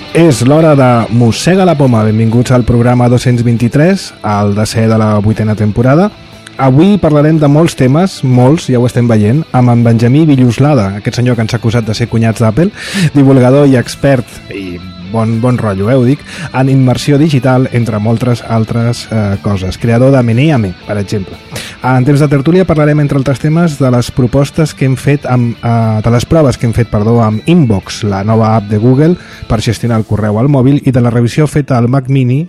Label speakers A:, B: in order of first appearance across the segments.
A: És l'hora de Mossega la Poma. Benvinguts al programa 223, al desè de la 8a temporada. Avui parlarem de molts temes, molts, ja ho estem veient, amb en Benjamí Villuslada, aquest senyor que ens ha acusat de ser cunyats d'Apple, divulgador i expert, i bon rotllo, ho dic, en immersió digital, entre moltes altres coses. Creador de Meneame, per exemple. En temps de tertúlia parlarem, entre altres temes, de les propostes que hem fet de les proves que hem fet, amb Inbox, la nova app de Google per gestionar el correu al mòbil, i de la revisió feta al Mac Mini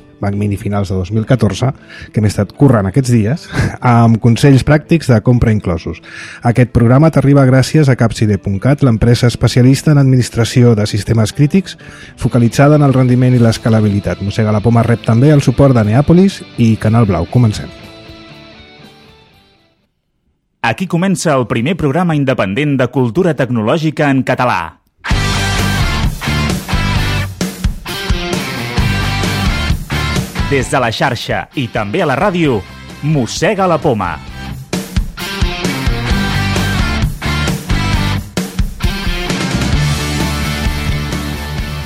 A: finals de 2014, que m'he estat currant aquests dies, amb consells pràctics de compra inclosos. Aquest programa t'arriba gràcies a Capcide.cat, l'empresa especialista en administració de sistemes crítics, focalitzada en el rendiment i l'escalabilitat. Mossega la Poma rep també el suport de Neàpolis i Canal Blau. Comencem.
B: Aquí comença el primer programa independent de cultura tecnològica en català. Des de la xarxa i també a la ràdio, Mossega la Poma.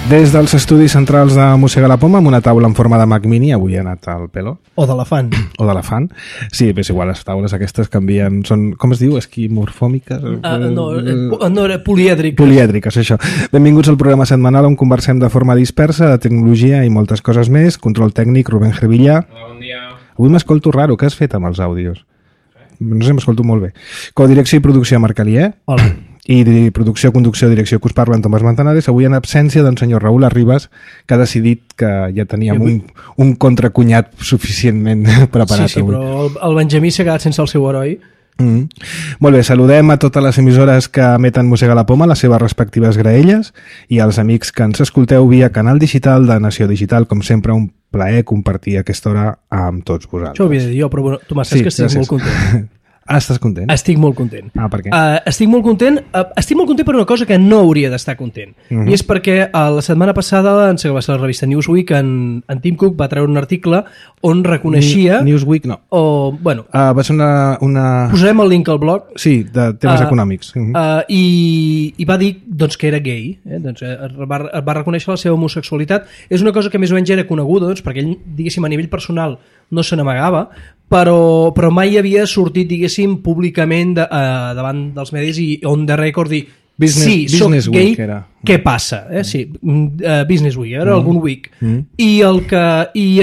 A: Des dels estudis centrals de Mossega la Poma, amb una taula en forma de Mac Mini, avui ha anat al pelo.
C: O d'elefant.
A: O d'elefant. Sí, és igual, les taules aquestes canvien, són, com es diu, esquimorfòmiques?
C: No, era polièdriques.
A: Polièdriques, això. Benvinguts al programa setmanal on conversem de forma dispersa de tecnologia i moltes coses més. Control tècnic, Rubén Gervillà.
D: Hola, bon dia.
A: Avui m'escolto raro, què has fet amb els àudios? No sé, m'escolto molt bé. Codirecció i producció, Marc Alier.
C: Hola.
A: I producció, conducció, direcció que us parla en Tomàs Manzanares, avui en absència d'en senyor Raül Arribas, que ha decidit que ja teníem un contracunyat suficientment preparat.
C: Sí,
A: avui.
C: Però el Benjamí s'ha quedat sense el seu heroi.
A: Molt bé, saludem a totes les emissores que emeten Mossega la Poma, les seves respectives graelles, i als amics que ens escolteu via canal digital de Nació Digital. Com sempre, un plaer compartir aquesta hora amb tots vosaltres.
C: Això ho havia de dir jo, però bueno, Tomàs, saps que estic molt content.
A: Ah, estàs content?
C: Estic molt content.
A: Ah, per què?
C: Estic molt content per una cosa que no hauria d'estar content. I és perquè la setmana passada, en va ser la revista Newsweek, en Tim Cook va treure un article on reconeixia...
A: Newsweek no. Va ser una...
C: Posarem el link al blog.
A: Sí, de temes econòmics.
C: I va dir doncs, que era gay. Doncs, va reconèixer la seva homosexualitat. És una cosa que més o menys era coneguda, doncs, perquè ell, diguéssim, a nivell personal no se n'amagava, però mai havia sortit, diguéssim, públicament davant dels medis i on the record dir
A: Business
C: soc gay,
A: Week era.
C: què passa? Sí, Business Week, era algun week. I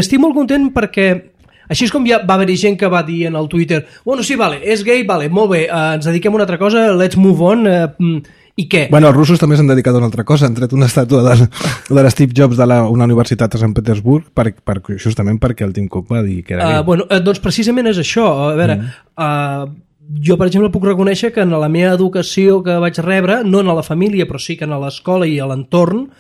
C: estic molt content perquè així és com ja va haver-hi gent que va dir en el Twitter, bueno, sí, vale, és gay, vale, molt bé, ens dediquem a una altra cosa, let's move on, i què?
A: Bueno, els russos també s'han dedicat a una altra cosa, han tret una estàtua de l'Steve Jobs una universitat a Sant Petersburg justament perquè el Tim Cook va dir que era gay.
C: Doncs precisament és això. A veure, jo, per exemple, puc reconèixer que en la meva educació que vaig rebre, no en la família, però sí que en l'escola i a l'entorn,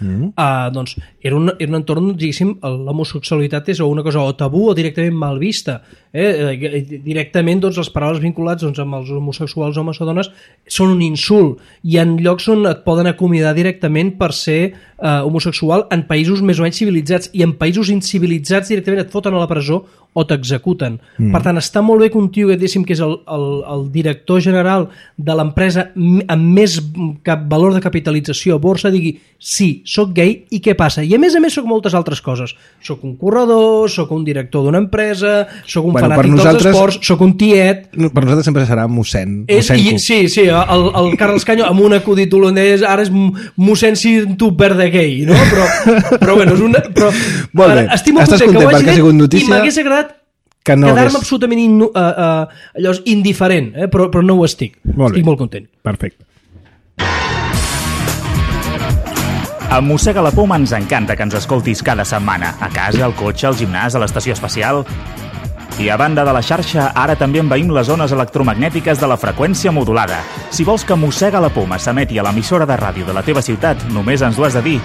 C: doncs era un entorn, diguéssim, l'homosexualitat és una cosa o tabú o directament mal vista. Directament, doncs, les paraules vinculades amb els homosexuals, homes o dones, són un insult. Hi ha llocs on et poden acomiadar directament per ser homosexual en països més o menys civilitzats, i en països incivilitzats directament et foten a la presó o t'executen. Per tant, està molt bé que un tio que diguéssim que és el director general de l'empresa amb més valor de capitalització a borsa digui, sí, soc gay i què passa? I a més soc moltes altres coses. Soc un corredor, soc un director d'una empresa, soc un fanàtic dels esports, soc un tiet...
A: Per nosaltres sempre serà mossèn.
C: Sí, el Carles Canyo amb un acudit holandès ara és mossèn si tu verde gay, no? Però bueno, és una...
A: Molt bé, estàs content perquè ha sigut notícia...
C: I m'hagués agradat quedar-me absolutament indiferent, però no ho estic. Estic molt content.
A: Perfecte.
B: A Mossega la Poma ens encanta que ens escoltis cada setmana, a casa, al cotxe, al gimnàs, a l'estació espacial. I a banda de la xarxa, ara també envaïm les zones electromagnètiques de la freqüència modulada. Si vols que Mossega la Poma s'emeti a l'emissora de ràdio de la teva ciutat, només ens ho has de dir.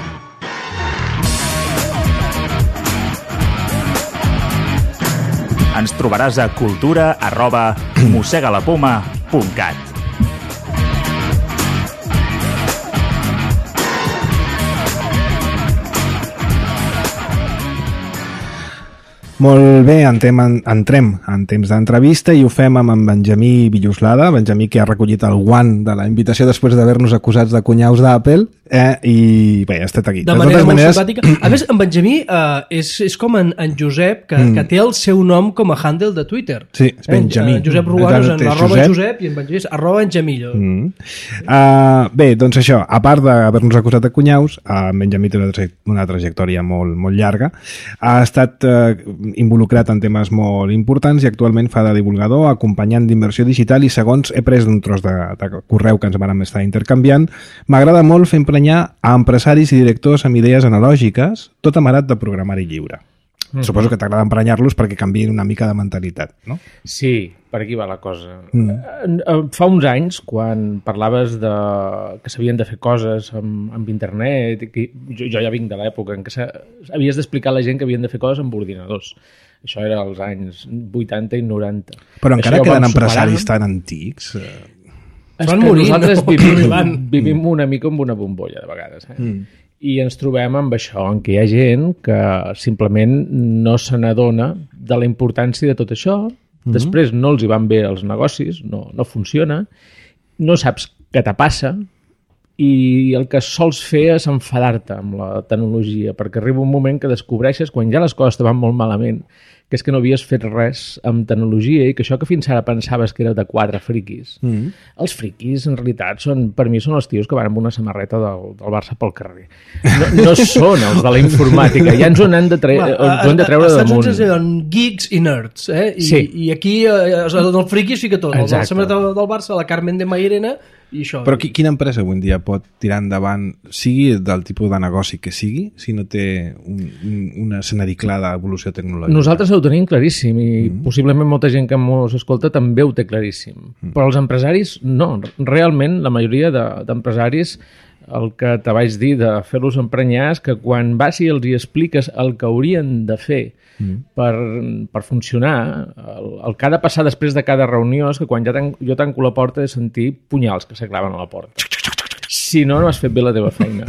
B: Ens trobaràs a cultura@mossegalapoma.cat.
A: Molt bé, entrem en temps d'entrevista i ho fem amb en Benjamí Villuslada, Benjamí que ha recollit el guant de la invitació després d'haver-nos acusats de cunyaus d'Apple I bé, ha estat aquí.
C: De manera molt simpàtica. A més, en Benjamí és com en Josep, que té el seu nom com a handle de Twitter.
A: Sí, és Benjamí.
C: Josep Ruganos en @Josep i en Benjamí és @Benjamillo.
A: Bé, doncs això, a part d'haver-nos acusat de cunyaus, en Benjamí té una trajectòria molt llarga. Ha estat involucrat en temes molt importants i actualment fa de divulgador, acompanyant d'inversió digital, i segons he pres d'un tros de correu que ens vam estar intercanviant, m'agrada molt fer emprenyar a empresaris i directors amb idees analògiques, tot amarat de programari lliure. Suposo que t'agrada emprenyar-los perquè canviïn una mica de mentalitat, no?
D: Sí, per aquí va la cosa. Fa uns anys, quan parlaves que s'havien de fer coses amb internet, jo ja vinc de l'època en què havies d'explicar a la gent que havien de fer coses amb ordinadors. Això era als anys 80 i 90.
A: Però encara queden empresaris tan antics...
D: És que nosaltres vivim una mica amb una bombolla, de vegades. I ens trobem amb això, en què hi ha gent que simplement no se n'adona de la importància de tot això. Després no els hi van bé els negocis, no funciona, no saps què te passa i el que sols fer és enfadar-te amb la tecnologia, perquè arriba un moment que descobreixes, quan ja les coses te van molt malament, que és que no havies fet res amb tecnologia i que això que fins ara pensaves que era de 4 friquis. Els friquis, en realitat, per mi són els tios que van amb una samarreta del Barça pel carrer. No són els de la informàtica. Ja ens ho hem de treure damunt.
C: Estats Units geeks i nerds,
D: Sí.
C: I aquí el friqui es fica tot. El de la samarreta del Barça, la Carmen de Mairena i això.
A: Però quina empresa avui en dia pot tirar endavant, sigui del tipus de negoci que sigui, si no té una escenari clar d'evolució tecnològica?
D: Nosaltres ho tenim claríssim i possiblement molta gent que ens escolta també ho té claríssim. Però els empresaris no. Realment, la majoria d'empresaris, el que te vaig dir de fer-los emprenyar és que quan vas i els hi expliques el que haurien de fer per funcionar, el que ha de passar després de cada reunió és que quan jo tanco la porta he de sentir punyals que s'aclaven a la porta. Si no, no has fet bé la teva feina.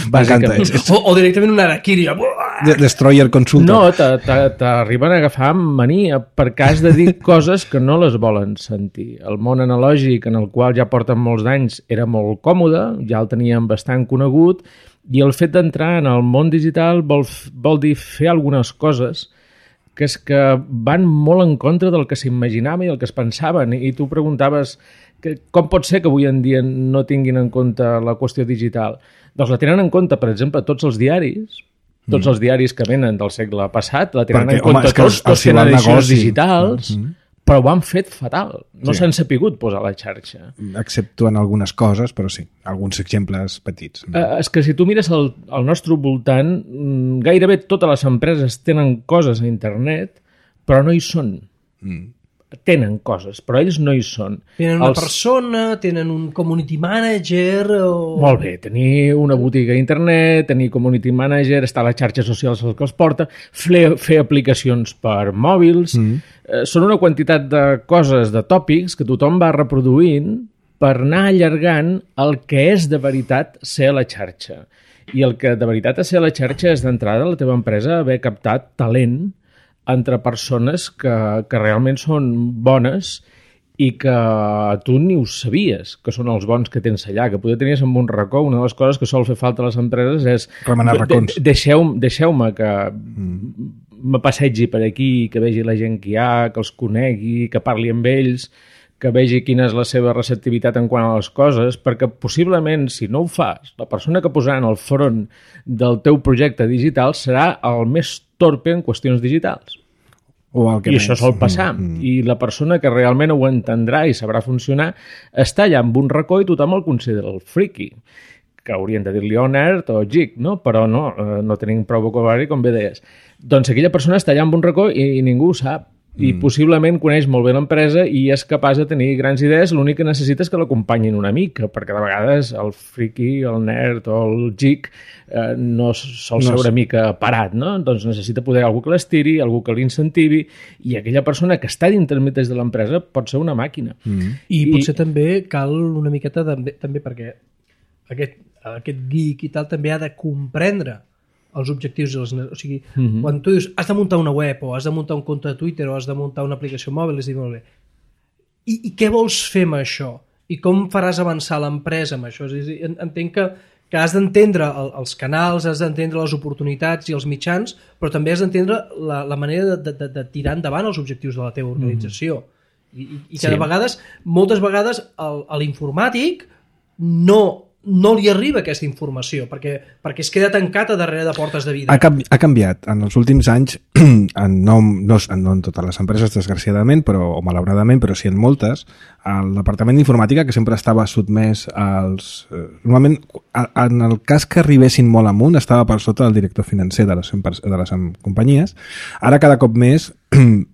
A: Bàsicament.
C: O directament una harakiri.
A: Destroyer consulta.
D: No, t'arriben a agafar amb mania perquè has de dir coses que no les volen sentir. El món analògic, en el qual ja porten molts d'anys, era molt còmode, ja el teníem bastant conegut, i el fet d'entrar en el món digital vol dir fer algunes coses que és que van molt en contra del que s'imaginava i el que es pensaven. I tu preguntaves com pot ser que avui en dia no tinguin en compte la qüestió digital? Doncs la tenen en compte, per exemple, tots els diaris que venen del segle passat, la tenen en compte tots tenen edicions digitals, però ho han fet fatal. No s'han sapigut posar a la xarxa.
A: Exceptuant algunes coses, però sí, alguns exemples petits.
D: És que si tu mires al nostre voltant, gairebé totes les empreses tenen coses a internet, però no hi són. Tenen coses, però ells no hi són.
C: Tenen una persona, tenen un community manager...
D: Molt bé, tenir una botiga a internet, tenir community manager, estar a les xarxes socials el que els porta, fer aplicacions per mòbils... Són una quantitat de coses, de tòpics, que tothom va reproduint per anar allargant el que és de veritat ser a la xarxa. I el que de veritat és ser a la xarxa és d'entrada la teva empresa haver captat talent entre persones que realment són bones i que tu ni ho sabies, que són els bons que tens allà, que poder tenies en un racó. Una de les coses que sol fer falta a les empreses és...
A: remenar racons.
D: Deixeu-me que me passegi per aquí, que vegi la gent que hi ha, que els conegui, que parli amb ells, que vegi quina és la seva receptivitat en quant a les coses, perquè possiblement, si no ho fas, la persona que posarà en el front del teu projecte digital serà el més torpe en qüestions digitals. I això sol passar. I la persona que realment ho entendrà i sabrà funcionar està allà amb un racó i tothom el considera el friki, que haurien de dir-li nerd o geek, no? Però no tenim prou vocabulari, com bé deies. Doncs aquella persona està allà amb un racó i ningú ho sap. I possiblement coneix molt bé l'empresa i és capaç de tenir grans idees, l'únic que necessita és que l'acompanyin una mica, perquè de vegades el friki, el nerd o el geek no sol ser una mica parat, no? Doncs necessita poder algú que l'estiri, algú que l'incentivi, i aquella persona que està dintre de l'empresa pot ser una màquina.
C: I potser també cal una miqueta també perquè aquest geek i tal també ha de comprendre els objectius. O sigui, quan tu dius has de muntar una web o has de muntar un compte de Twitter o has de muntar una aplicació mòbil, és dir, molt bé, i què vols fer amb això? i com faràs avançar l'empresa amb això. És a dir, entenc que has d'entendre els canals, has d'entendre les oportunitats i els mitjans, però també has d'entendre la manera de tirar endavant els objectius de la teva organització. I que de vegades, moltes vegades, a l'informàtic no li arriba aquesta informació, perquè es queda tancat a darrere de portes de vida.
A: Ha canviat. En els últims anys, no en totes les empreses, desgraciadament, o malauradament, però sí en moltes, el departament d'informàtica, que sempre estava sotmès als... Normalment, en el cas que arribessin molt amunt, estava per sota del director financer de les companyies. Ara, cada cop més,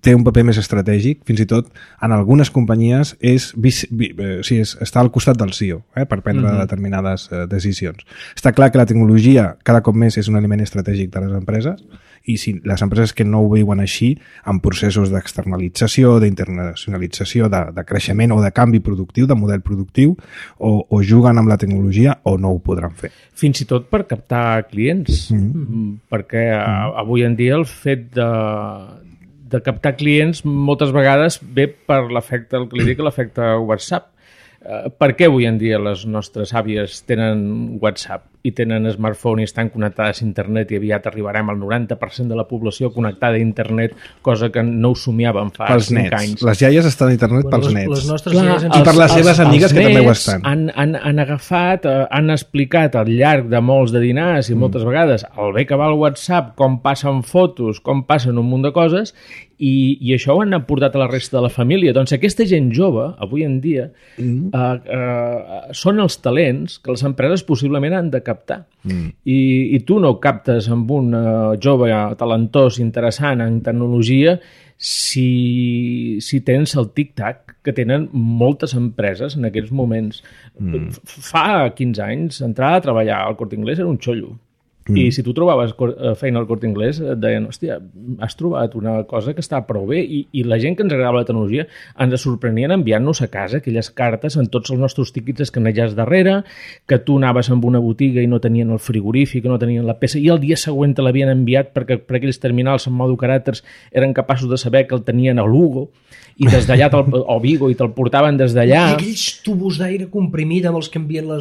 A: té un paper més estratègic, fins i tot en algunes companyies està al costat del CEO per prendre determinades decisions. Està clar que la tecnologia cada cop més és un element estratègic de les empreses, i si les empreses que no ho viuen així, en processos d'externalització, d'internacionalització, de creixement o de canvi productiu, de model productiu, o juguen amb la tecnologia o no ho podran fer.
D: Fins i tot per captar clients, perquè avui en dia el fet de captar clients moltes vegades ve per l'efecte, el que li dic, l'efecte WhatsApp. Per què avui en dia les nostres àvies tenen WhatsApp i tenen smartphone i estan connectades a internet i aviat arribarem al 90% de la població connectada a internet, cosa que no ho somiàvem fa 5 anys.
A: Les iaies estan a internet pels nets.
C: Les nostres iaies
A: i per les seves amigues que també ho estan.
D: Han agafat, han explicat al llarg de molts de dinars i moltes vegades el bé que va el WhatsApp, com passen fotos, com passen un munt de coses, i això ho han aportat a la resta de la família. Doncs aquesta gent jove, avui en dia, són els talents que les empreses possiblement han de captar. I tu no captes amb un jove talentós, interessant en tecnologia, si tens el tic-tac que tenen moltes empreses en aquests moments. Fa 15 anys, entrar a treballar al Corte Inglés era un xollo. I si tu trobaves feina al Corte Inglés et deien, hòstia, has trobat una cosa que està prou bé, i la gent que ens agradava la tecnologia ens sorprenien enviant-nos a casa aquelles cartes amb tots els nostres tíquets escanejats darrere, que tu anaves amb una botiga i no tenien el frigorífic, no tenien la peça, i el dia següent te l'havien enviat perquè per aquells terminals en modo caràcters eren capaços de saber que el tenien a Lugo, i des d'allà o Vigo, i te'l portaven des d'allà.
C: I aquells tubos d'aire comprimit amb els que envien a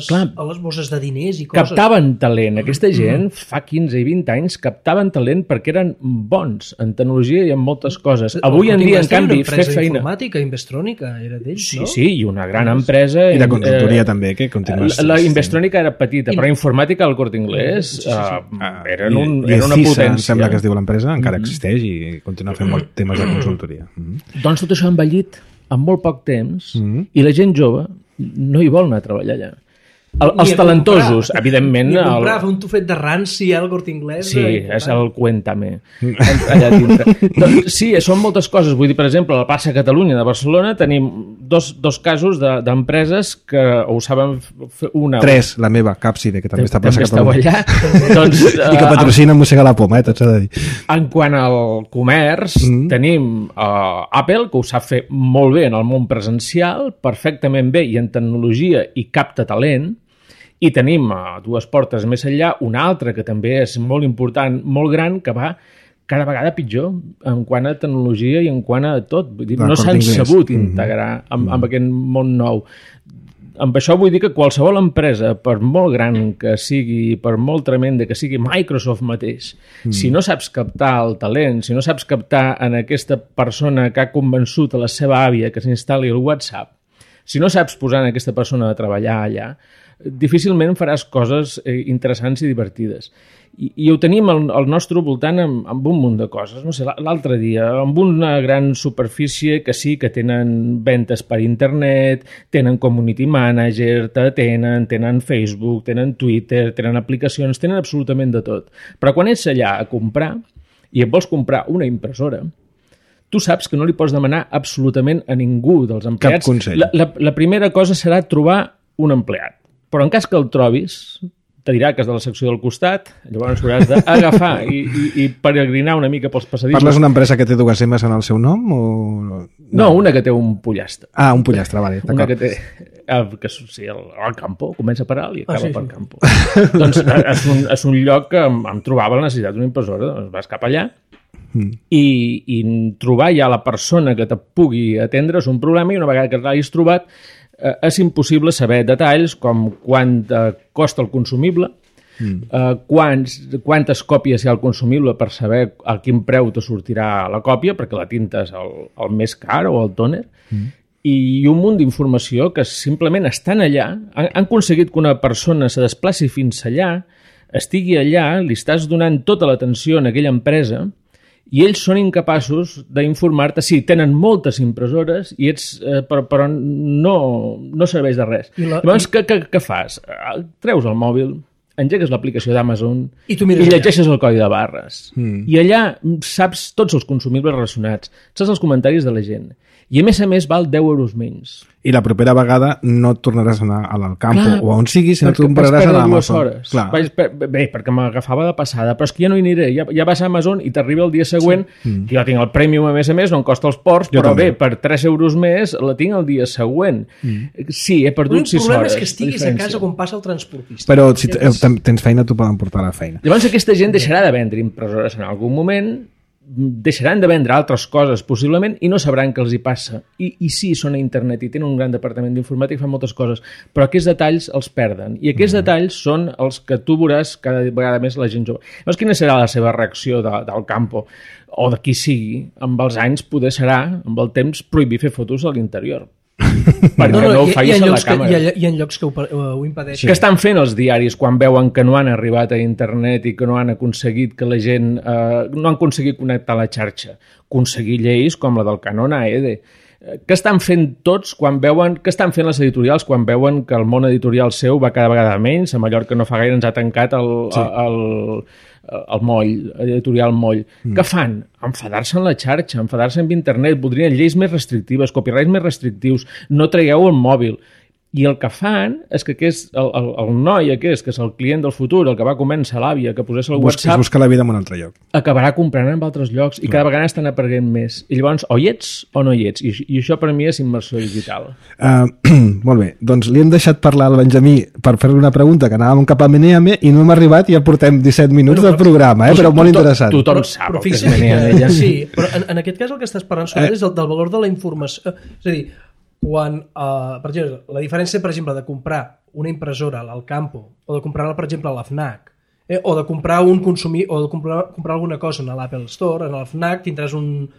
C: les bosses de diners i coses.
D: Captaven talent. Aquesta gent, fa 15 i 20 anys, captaven talent perquè eren bons en tecnologia i en moltes coses. Avui en dia, en canvi, fer feina...
C: Informàtica, Investrònica, era d'ells, no?
D: Sí, i una gran empresa...
A: I de consultoria també, que continua...
D: La Investrònica era petita, però informàtica al Corte Inglés era una potència.
A: Em sembla que es diu l'empresa, encara existeix i continua fent molts temes de consultoria.
D: Doncs tot això ha envellit en molt poc temps i la gent jove no hi vol anar a treballar allà. Els talentosos, evidentment...
C: Ni a comprar, fer un tufet de ranci al Corte Inglés...
D: Sí, és el Cuéntame, allà dintre. Doncs, sí, són moltes coses. Vull dir, per exemple, a la plaça Catalunya de Barcelona tenim dos casos d'empreses que ho saben fer una...
A: 3, la meva, Capside, que també està a plaça Catalunya.
D: Doncs,
A: i que patrocina Mossega la Poma, tot s'ha de dir.
D: En quant al comerç, tenim Apple, que ho sap fer molt bé en el món presencial, perfectament bé i en tecnologia i capta talent. I tenim a 2 portes més enllà una altra que també és molt important, molt gran, que va cada vegada pitjor en quant a tecnologia i en quant a tot. Vull dir, no s'han sabut integrar amb aquest món nou. Amb això vull dir que qualsevol empresa, per molt gran que sigui, per molt tremenda que sigui Microsoft mateix, si no saps captar el talent, si no saps captar en aquesta persona que ha convençut a la seva àvia que s'instal·li el WhatsApp, si no saps posar en aquesta persona a treballar allà, difícilment faràs coses interessants i divertides. I ho tenim al nostre voltant amb un munt de coses. No sé, l'altre dia, amb una gran superfície que sí que tenen ventes per internet, tenen community manager, tenen Facebook, tenen Twitter, tenen aplicacions, tenen absolutament de tot. Però quan ets allà a comprar i et vols comprar una impressora, tu saps que no li pots demanar absolutament a ningú dels empleats.
A: Cap consell.
D: La primera cosa serà trobar un empleat. Però en cas que el trobis, te dirà que és de la secció del costat, llavors hauràs d'agafar i peregrinar una mica pels passadissos.
A: Parles d'una empresa que té 2 M's en el seu nom? O...
D: No, una que té un pollastre.
A: Ah, un pollastre, vale, d'acord.
D: Una que té... Sí, el Campo, comença per alt i acaba per Campo. Doncs és un lloc que em trobava la necessitat d'una impressora, doncs vas cap allà i trobar ja la persona que te pugui atendre és un problema, i una vegada que l'hagis trobat és impossible saber detalls com quant costa el consumible, quantes còpies hi ha al consumible per saber a quin preu te sortirà la còpia, perquè la tinta és el més car o el tòner, i un munt d'informació que simplement estan allà, han aconseguit que una persona se desplaci fins allà, estigui allà, li estàs donant tota l'atenció en aquella empresa i ells són incapaços d'informar-te. Sí, tenen moltes impressores i però no serveix de res. Llavors, què fas? Treus el mòbil, engegues l'aplicació d'Amazon i llegeixes el codi de barres. I allà saps tots els consumibles relacionats, saps els comentaris de la gent. I a més val 10 euros menys.
A: I la propera vegada no et tornaràs a anar a l'Alcampo o on sigui, sinó que compraràs a l'Amazon. Bé, perquè m'agafava de passada, però és que ja no hi aniré. Ja vas a Amazon i t'arriba el dia següent, que jo tinc el Premium a més, no em costa els ports, però bé, per 3 euros més la tinc el dia següent. Sí, he perdut 6 hores.
C: El problema és que estiguis a casa quan passa el transportista.
A: Però si tens feina, t'ho poden portar a la feina.
D: Llavors aquesta gent deixarà de vendre impressores en algun moment, deixaran de vendre altres coses possiblement i no sabran què els hi passa. I sí, són a internet i tenen un gran departament d'informàtica i fan moltes coses, però aquests detalls els perden i aquests detalls són els que tu veuràs cada vegada més la gent jove. Llavors, quina serà la seva reacció del Campo o de qui sigui? Amb els anys poder serà, amb el temps, prohibir fer fotos a l'interior. Perquè no ho facis a la càmera.
C: Hi ha llocs que ho impedeixen.
D: Què estan fent els diaris quan veuen que no han arribat a internet i que no han aconseguit que la gent no han aconseguit connectar la xarxa? Aconseguir lleis com la del Canon AED. Què estan fent tots quan veuen... Què estan fent les editorials quan veuen que el món editorial seu va cada vegada menys? A Mallorca no fa gaire ens ha tancat el moll, editorial moll. Què fan? Enfadar-se en la xarxa, enfadar-se amb internet, voldrien lleis més restrictives, copyrights més restrictius, no tragueu el mòbil. I el que fan és que el noi aquest, que és el client del futur, el que va començar l'àvia, que posés el WhatsApp...
A: Busca la vida en un altre lloc.
D: Acabarà comprant en altres llocs i cada vegada estan aprenent més. I llavors, o hi ets o no hi ets. I això per mi és immersió digital.
A: Molt bé, doncs li hem deixat parlar al Benjamí per fer-li una pregunta que anàvem cap a Meneame i no hem arribat i ja portem 17 minuts del programa, però molt interessant.
D: Tothom sap
C: que és Meneame. Sí, però en aquest cas el que estàs parlant és del valor de la informació. És a dir, quan, per exemple, la diferència, per exemple, de comprar una impressora a l'Alcampo o de comprar-la, per exemple, a la FNAC, o de comprar o de comprar alguna cosa a l'Apple Store, en la FNAC tindràs un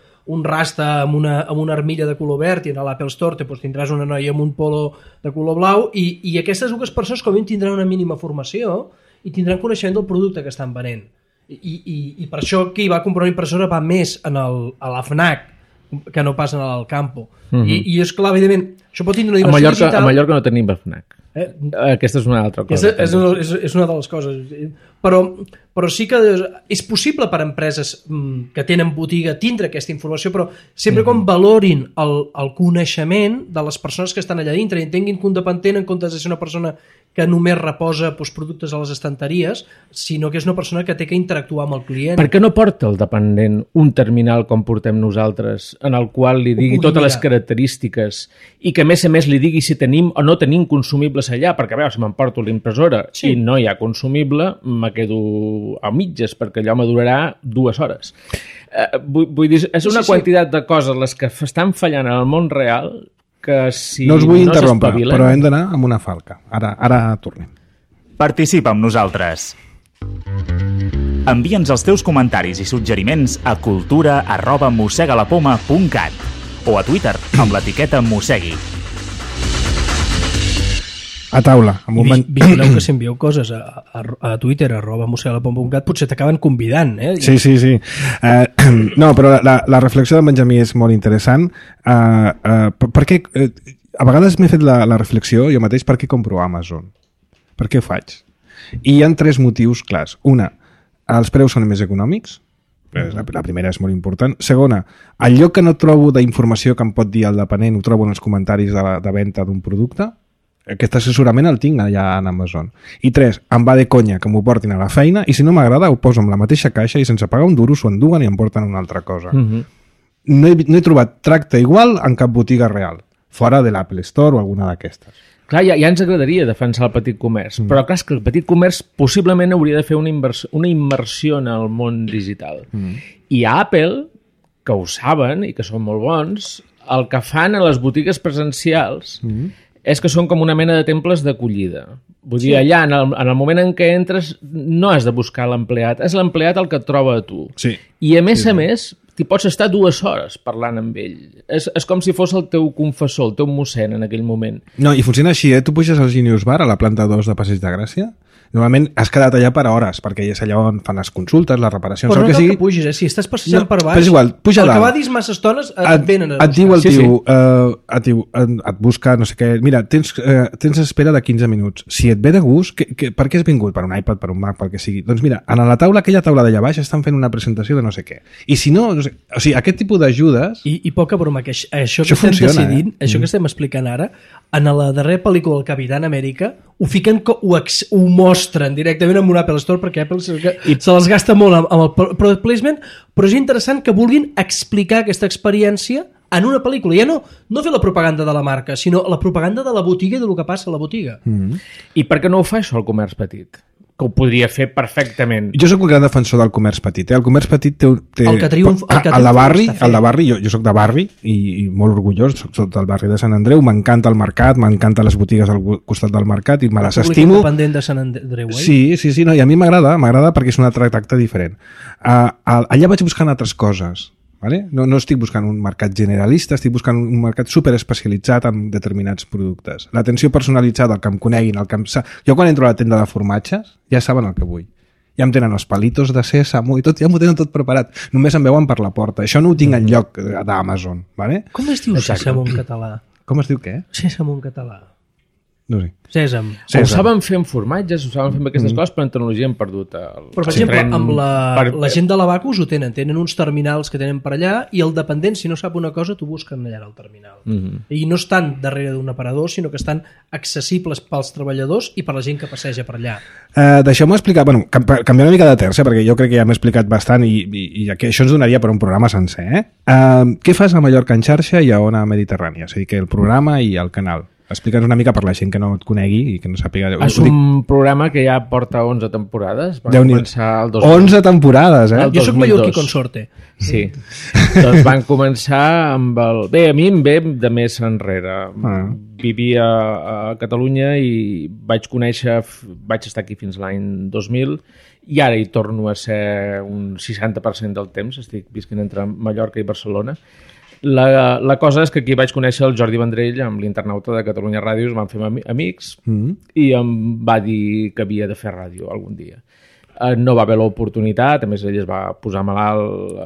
C: rasta amb una armilla de color verd i en l'Apple Store tindràs una noia amb un polo de color blau i aquestes dues persones com a mínim tindran una mínima formació i tindran coneixement del producte que estan venent. I per això qui va comprar una impressora va més a la FNAC que no passen a l'Alcampo. I és clar, evidentment, això pot tindre una dimensió digital...
D: A Mallorca no tenim FNAC. Aquesta és una altra cosa.
C: És una de les coses. Però sí que és possible per empreses que tenen botiga tindre aquesta informació, però sempre com valorin el coneixement de les persones que estan allà dintre i entenguin que un dependent, en comptes de ser una persona que només reposa productes a les estanteries, sinó que és una persona que té que interactuar amb el client.
D: Per què no porta el dependent un terminal com portem nosaltres, en el qual li digui totes les característiques i que a més li digui si tenim o no tenim consumibles allà, perquè a veure, si m'emporto l'impressora i no hi ha consumible, me quedo a mitges, perquè allò me durarà 2 hores. Vull dir, és una quantitat de coses les que estan fallant en el món real que si
A: no us vull interrompre, però hem d'anar amb una falca. Ara tornem.
B: Participa amb nosaltres. Envia'ns els teus comentaris i suggeriments a cultura@mossegalapoma.cat o a Twitter amb l'etiqueta Mossegui.
A: A taula.
C: Vigileu que si envieu coses a Twitter @mossegalapoma.cat potser t'acaben convidant.
A: Sí. No, però la reflexió de Benjamí és molt interessant perquè a vegades m'he fet la reflexió jo mateix per què compro Amazon. Per què ho faig? I hi ha 3 motius clars. Una, els preus són més econòmics. La primera és molt important. Segona, el lloc que no trobo d'informació que em pot dir el dependent ho trobo en els comentaris de venda d'un producte. Aquest assessorament el tinc allà en Amazon. I 3, em va de conya que m'ho portin a la feina i si no m'agrada ho poso en la mateixa caixa i sense pagar un duro s'ho enduguen i em porten una altra cosa. No he trobat tracte igual en cap botiga real, fora de l'Apple Store o alguna d'aquestes.
D: Clar, ja ens agradaria defensar el petit comerç, però clar, és que el petit comerç possiblement hauria de fer una immersió en el món digital. I a Apple, que ho saben i que són molt bons, el que fan a les botigues presencials és que són com una mena de temples d'acollida. Vull dir, allà, en el moment en què entres, no has de buscar l'empleat, és l'empleat el que et troba a tu.
A: Sí.
D: I a més, t'hi pots estar 2 hores parlant amb ell. És com si fos el teu confessor, el teu mossèn en aquell moment.
A: No, i funciona així, Tu puges al Genius Bar, a la planta 2 de Passeig de Gràcia. Normalment has quedat allà per hores, perquè és allà on fan les consultes, les reparacions,
C: però no
A: que
C: cal
A: sigui.
C: que pugis, si estàs passejant per baix,
A: però és igual, puja
C: el
A: dalt.
C: que va dir massa estones et venen a
A: Et diu el
D: Sí,
A: tio, et busca, no sé què, mira, tens espera de 15 minuts. Si et ve de gust, per què has vingut? Per un iPad, per un Mac, pel que sigui. Doncs mira, a la taula, aquella taula d'allà baix, estan fent una presentació de no sé què. I si no sé, o sigui, aquest tipus d'ajudes...
C: I poca broma, que això que
A: funciona,
C: estem decidint, això que estem explicant ara, en la darrera pel·lícula del Capitán Amèrica, ho fiquen, ho mostren directament amb un Apple Store, perquè Apple se les gasta molt amb el product placement, però és interessant que vulguin explicar aquesta experiència en una pel·lícula. Ja no fer la propaganda de la marca, sinó la propaganda de la botiga i del que passa a la botiga.
D: I per què no ho fa això el comerç petit? Que ho podria fer perfectament.
A: Jo sóc un gran defensor del comerç petit. El comerç petit té
C: El que triomfa
A: el de barri, jo soc de barri i molt orgullós, soc del barri de Sant Andreu, m'encanta el mercat, m'encanten les botigues al costat del mercat i me les estimo.
C: Independent de Sant Andreu,
A: Sí, no, i a mi m'agrada perquè és un altre tracte diferent. Allà vaig buscant altres coses. Vale? No estic buscant un mercat generalista, estic buscant un mercat superespecialitzat en determinats productes. L'atenció personalitzada, el que em coneguin, jo quan entro a la tenda de formatges ja saben el que vull. Ja em tenen els palitos de sèsamo i tot, ja m'ho tenen tot preparat. Només em veuen per la porta. Això no ho tinc enlloc d'Amazon. Vale?
C: Com es diu sèsamo en català?
A: Com es diu què?
C: Sèsamo en català.
A: No sé.
C: Sèsam.
D: Ho saben fer amb formatges, ho saben fer amb aquestes coses, però en tecnologia hem perdut el...
C: Però, per exemple, amb la gent de l'Abacus ho tenen uns terminals que tenen per allà i el dependent, si no sap una cosa, t'ho busquen allà al terminal. I no estan darrere d'un aparador, sinó que estan accessibles pels treballadors i per la gent que passeja per allà.
A: Deixeu-me explicar, canviar una mica de terça, perquè jo crec que ja m'he explicat bastant i això ens donaria per un programa sencer. Què fas a Mallorca en xarxa i a Ona Mediterrània? És a dir, que el programa i el canal. Explica'ns una mica per la gent que no et conegui i que no sàpiga...
D: És un programa que ja porta 11 temporades. Van començar el 2000.
A: 11 temporades,
C: Jo soc mallorquí consorte.
D: Sí. Doncs van començar amb el... Bé, a mi em ve de més enrere. Vivia a Catalunya i vaig estar aquí fins l'any 2000 i ara hi torno a ser un 60% del temps. Estic visquent entre Mallorca i Barcelona. La cosa és que aquí vaig conèixer el Jordi Vendrell amb l'internauta de Catalunya Ràdio, es van fer amics i em va dir que havia de fer ràdio algun dia. No va haver l'oportunitat, a més ell es va posar malalt,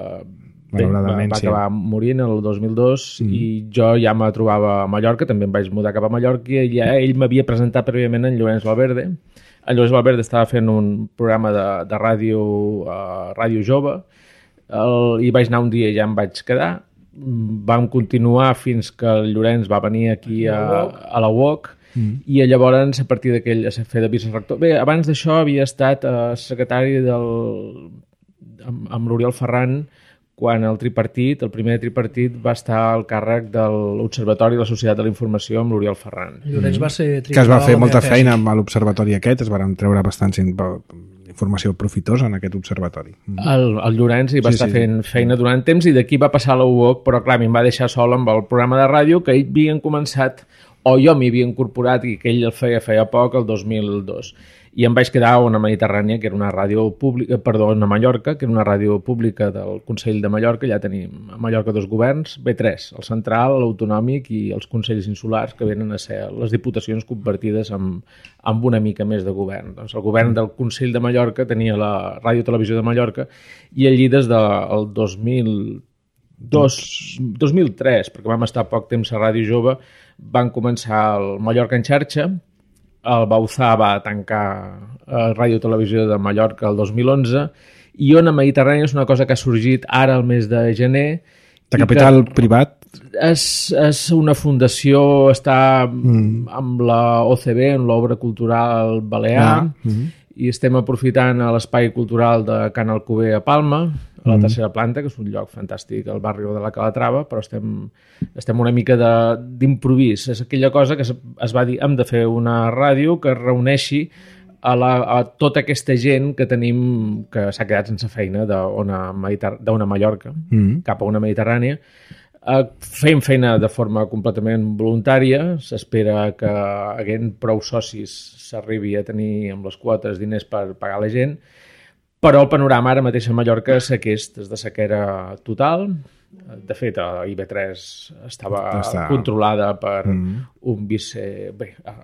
D: va acabar morint el 2002 i jo ja me trobava a Mallorca, també em vaig mudar cap a Mallorca i ja ell m'havia presentat prèviament en Llorenç Valverde. En Llorenç Valverde estava fent un programa de ràdio, Ràdio Jove, i vaig anar un dia i ja em vaig quedar. Vam continuar fins que el Llorenç va venir aquí a la UOC i llavors a partir d'aquell a fer de vicerector. Bé, abans d'això havia estat secretari amb l'Oriol Ferran quan el primer tripartit va estar al càrrec de l'Observatori de la Societat de la Informació amb l'Oriol Ferran.
C: Llorenç va ser
A: que es va fer molta feina amb l'observatori aquest, es van treure bastant informació profitosa en aquest observatori.
D: El Llorenç hi va estar fent feina durant temps i d'aquí va passar a la UOC, però clar, em va deixar sol amb el programa de ràdio que ells havien començat, o jo m'hi havia incorporat i que ell el feia poc, el 2002. I em vaig quedar a Ona Mediterrània, que era una ràdio pública, a Mallorca, que era una ràdio pública del Consell de Mallorca. Ja tenim a Mallorca 2 governs, tres, el central, l'autonòmic i els consells insulars, que venen a ser les diputacions convertides amb una mica més de govern. Doncs el govern del Consell de Mallorca tenia la Ràdio Televisió de Mallorca i allí des del 2003, perquè vam estar poc temps a Ràdio Jove, van començar el Mallorca en xarxa. El Bauzà va tancar Ràdio Televisió de Mallorca el 2011 i Ona Mediterrània és una cosa que ha sorgit ara al mes de gener.
A: De capital privat?
D: És una fundació, està amb la OCB, en l'Obra Cultural Balear, i estem aprofitant l'espai cultural de Can Alcover a Palma, a la tercera planta, que és un lloc fantàstic al barri de la Calatrava, però estem una mica d'improvís. És aquella cosa que es va dir, hem de fer una ràdio que reuneixi a tota aquesta gent que tenim, que s'ha quedat sense feina d'Ona Mallorca, cap a Ona Mediterrània, Fem feina de forma completament voluntària, s'espera que haguent prou socis s'arribi a tenir amb les quotes diners per pagar la gent, però el panorama ara mateix a Mallorca és aquest, és de sequera total. De fet, a IB3 estava controlada per un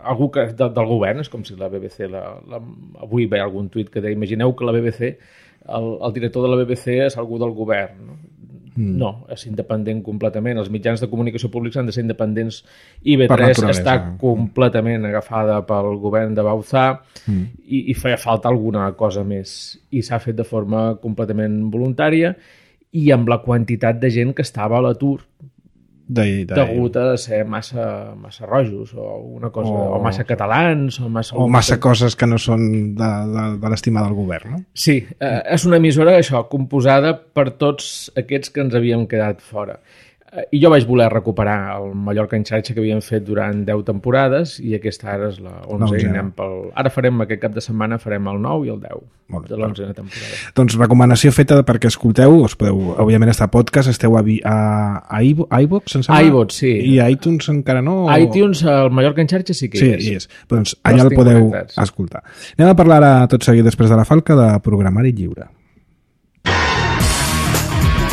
D: algú del govern, és com si la BBC... Avui ve algun tuit que deia, imagineu que la BBC, el director de la BBC és algú del govern, no? No, és independent completament. Els mitjans de comunicació públics han de ser independents. IB3 està completament agafada pel govern de Bauzá i feia falta alguna cosa més. I s'ha fet de forma completament voluntària i amb la quantitat de gent que estava a l'atur degut a ser massa rojos o una cosa, o massa catalans o
A: massa coses que no són de l'estima del govern, no?
D: Sí, és una emissora composada per tots aquests que ens havíem quedat fora. I jo vaig voler recuperar el Mallorca en xarxa que havíem fet durant 10 temporades i aquesta ara és la 11a. Ara farem aquest cap de setmana, farem el 9 i el 10 de l'11a temporada.
A: Doncs recomanació feta perquè escolteu, us podeu, òbviament està podcast, esteu a iVoox, em sembla?
D: iVoox, sí.
A: I iTunes encara no?
D: iTunes, el Mallorca en xarxa sí que
A: hi és. Doncs allà el podeu escoltar. Anem a parlar ara tot seguit després de la falca de programari lliure.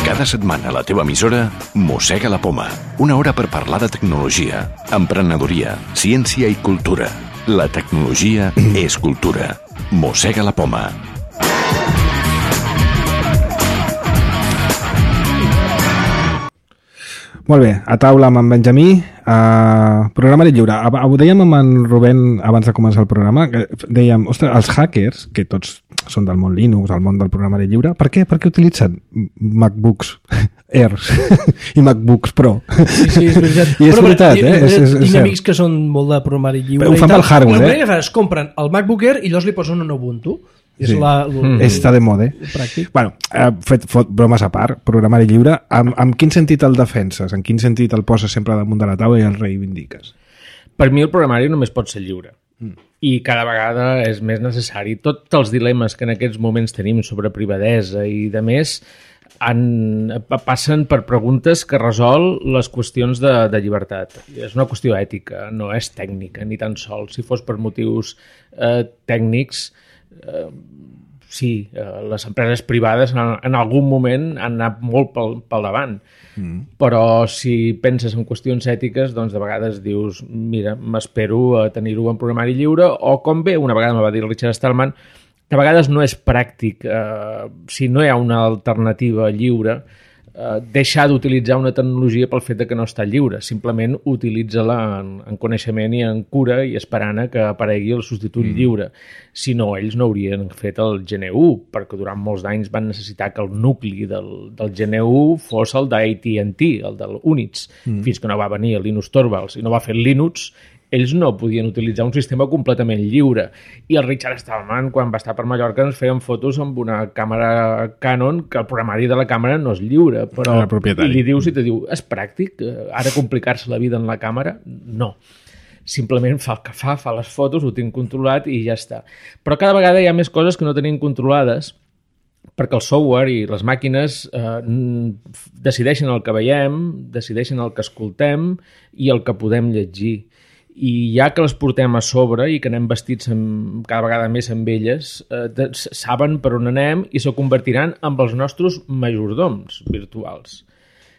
E: Cada setmana a la teva emissora Mossega la Poma. Una hora per parlar de tecnologia, emprenedoria, ciència i cultura. La tecnologia és cultura. Mossega la Poma.
A: Molt bé, a taula amb en Benjamí, programari lliure. Ho dèiem amb en Rubén abans de començar el programa, que dèiem, ostres, els hackers, que tots són del món Linux, del món del programari lliure, per què utilitzen MacBooks Airs i MacBooks Pro?
C: Sí, és veritat.
A: I és veritat,
C: Tinc amics que són molt de programari lliure.
A: Ho fan pel hardware,
C: es compren el MacBook Air i llavors li posen un Ubuntu.
A: Sí. Està de moda. Bueno, fet bromes a part, programari lliure, en quin sentit el defenses? En quin sentit el poses sempre damunt de la taula i el reivindiques?
D: Per mi el programari només pot ser lliure. I cada vegada és més necessari. Tots els dilemes que en aquests moments tenim sobre privadesa i de més passen per preguntes que resol les qüestions de llibertat. És una qüestió ètica, no és tècnica, ni tan sols. Si fos per motius tècnics, sí, les empreses privades en algun moment han anat molt pel davant. Però si penses en qüestions ètiques, doncs de vegades dius, mira, m'espero a tenir-ho en programari lliure, o com bé, una vegada me va dir Richard Stallman, de vegades no és pràctic, si no hi ha una alternativa lliure, deixar d'utilitzar una tecnologia pel fet que no està lliure. Simplement utilitza-la en coneixement i en cura i esperant que aparegui el substitut lliure. Si no, ells no haurien fet el GNU, perquè durant molts anys van necessitar que el nucli del GNU fos el d'AT&T, el del Unix, fins que no va venir el Linus Torvalds i no va fer el Linux. Ells no podien utilitzar un sistema completament lliure. I el Richard Stallman, quan va estar per Mallorca, ens feien fotos amb una càmera Canon, que el programari de la càmera no és lliure, però i li dius i te diu, és pràctic ara complicar-se la vida en la càmera? No. Simplement fa el que fa les fotos, ho tinc controlat i ja està. Però cada vegada hi ha més coses que no tenim controlades, perquè el software i les màquines decideixen el que veiem, decideixen el que escoltem i el que podem llegir. I ja que les portem a sobre i que anem vestits cada vegada més amb elles, saben per on anem i se convertiran en els nostres majordoms virtuals.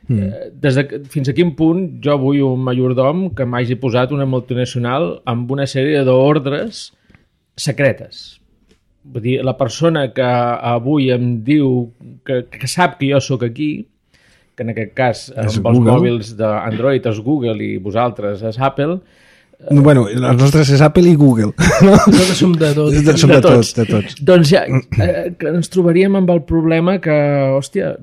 D: Fins a quin punt jo vull un majordom que m'hagi posat una multinacional amb una sèrie d'ordres secretes. Vull dir, la persona que avui em diu que sap que jo sóc aquí, que en aquest cas amb els mòbils d'Android és Google i vosaltres és Apple.
A: Bueno, els nostres és Apple i Google.
C: Nosaltres som de tots.
A: De tots.
D: Doncs ja que ens trobaríem amb el problema que, hòstia,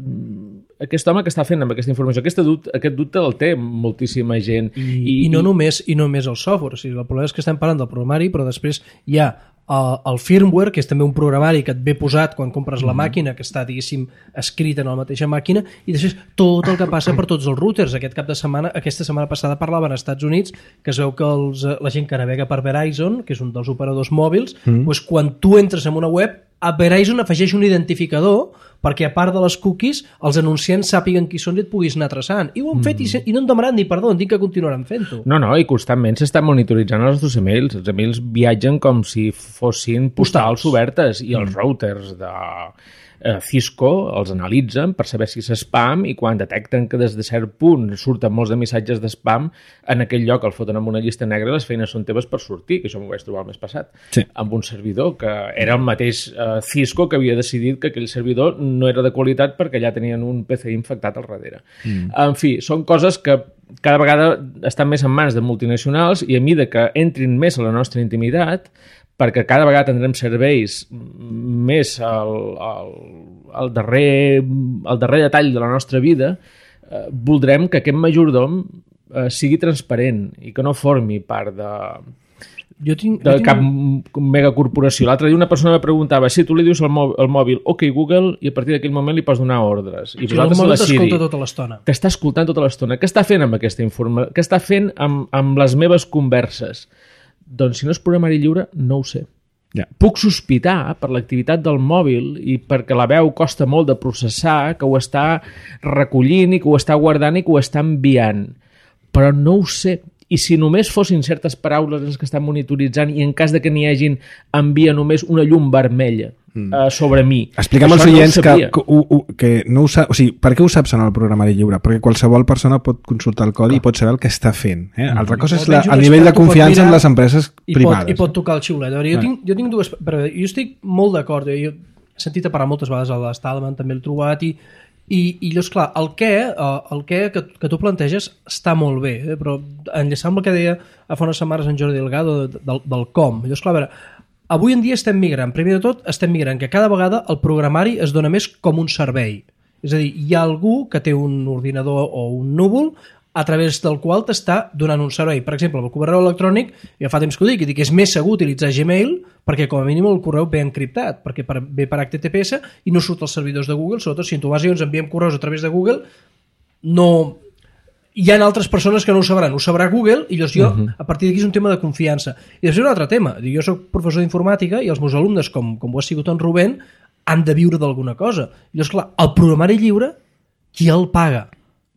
D: aquest home que està fent amb aquesta informació, aquest dubte el té moltíssima gent.
C: I no només el software. O sigui, el problema és que estem parlant del programari, però després hi ha el firmware, que és també un programari que et ve posat quan compres la màquina, que està, diguéssim, escrit en la mateixa màquina, i després tot el que passa per tots els routers. Aquesta setmana passada parlaven als Estats Units que es veu que la gent que navega per Verizon, que és un dels operadors mòbils, doncs quan tu entres en una web Verizon afegeix un identificador perquè a part de les cookies els anunciants sàpiguen qui són i et puguis anar traçant. I ho han fet i no en demanaran ni perdó, dic que continuaran fent-ho.
D: No, i constantment s'estan monitoritzant els nostres emails. Els emails viatgen com si fossin postals obertes i els routers de Cisco els analitzen per saber si és spam i quan detecten que des de cert punt surten molts de missatges d'spam, en aquell lloc el foten amb una llista negra i les feines són teves per sortir, que això m'ho vaig trobar el mes passat, amb un servidor que era el mateix Cisco que havia decidit que aquell servidor no era de qualitat perquè allà tenien un PC infectat al darrere. En fi, són coses que cada vegada estan més en mans de multinacionals i a mesura que entrin més a la nostra intimitat, perquè cada vegada tindrem serveis més al darrer detall de la nostra vida, voldrem que aquest majordom sigui transparent i que no formi part de cap megacorporació. L'altre dia una persona me preguntava si tu li dius al mòbil OK Google i a partir d'aquell moment li pots donar ordres. I
C: vosaltres la Siri tota l'estona.
D: T'està escoltant tota l'estona. Què està fent amb aquesta informació? Què està fent amb les meves converses? Doncs si no és programari lliure, no ho sé. Puc sospitar per l'activitat del mòbil i perquè la veu costa molt de processar que ho està recollint i que ho està guardant i que ho està enviant. Però no ho sé. I si només fossin certes paraules les que estan monitoritzant i en cas de que n'hi hagin envia només una llum vermella sobre mi.
A: Explica'm als oients que no ho sap, o sigui, per què ho saps en el programari lliure? Perquè qualsevol persona pot consultar el codi i pot saber el que està fent. Altra cosa és el nivell de confiança en les empreses privades.
C: I pot tocar el xiulet. Jo tinc dues... Jo estic molt d'acord. Jo he sentit a parlar moltes vegades a l'Stallman, també l'he trobat i llavors, clar, el què que tu planteges està molt bé, però enllaçant amb el que deia fa unes setmanes en Jordi Delgado del com. Llavors, clar, a veure, avui en dia estem migrant. Primer de tot, estem migrant que cada vegada el programari es dona més com un servei. És a dir, hi ha algú que té un ordinador o un núvol a través del qual t'està donant un servei. Per exemple, el correu electrònic, ja fa temps que ho dic, i dic que és més segur utilitzar Gmail perquè com a mínim el correu ve encriptat, perquè ve per HTTPS i no surt als servidors de Google, sobretot si en tu vas i ens enviem correus a través de Google, no... Hi ha altres persones que no ho sabran, ho sabrà Google i llavors jo, a partir d'aquí és un tema de confiança. I després un altre tema, jo soc professor d'informàtica i els meus alumnes, com ho ha sigut en Rubén, han de viure d'alguna cosa. I llavors, clar, el programari lliure, qui el paga?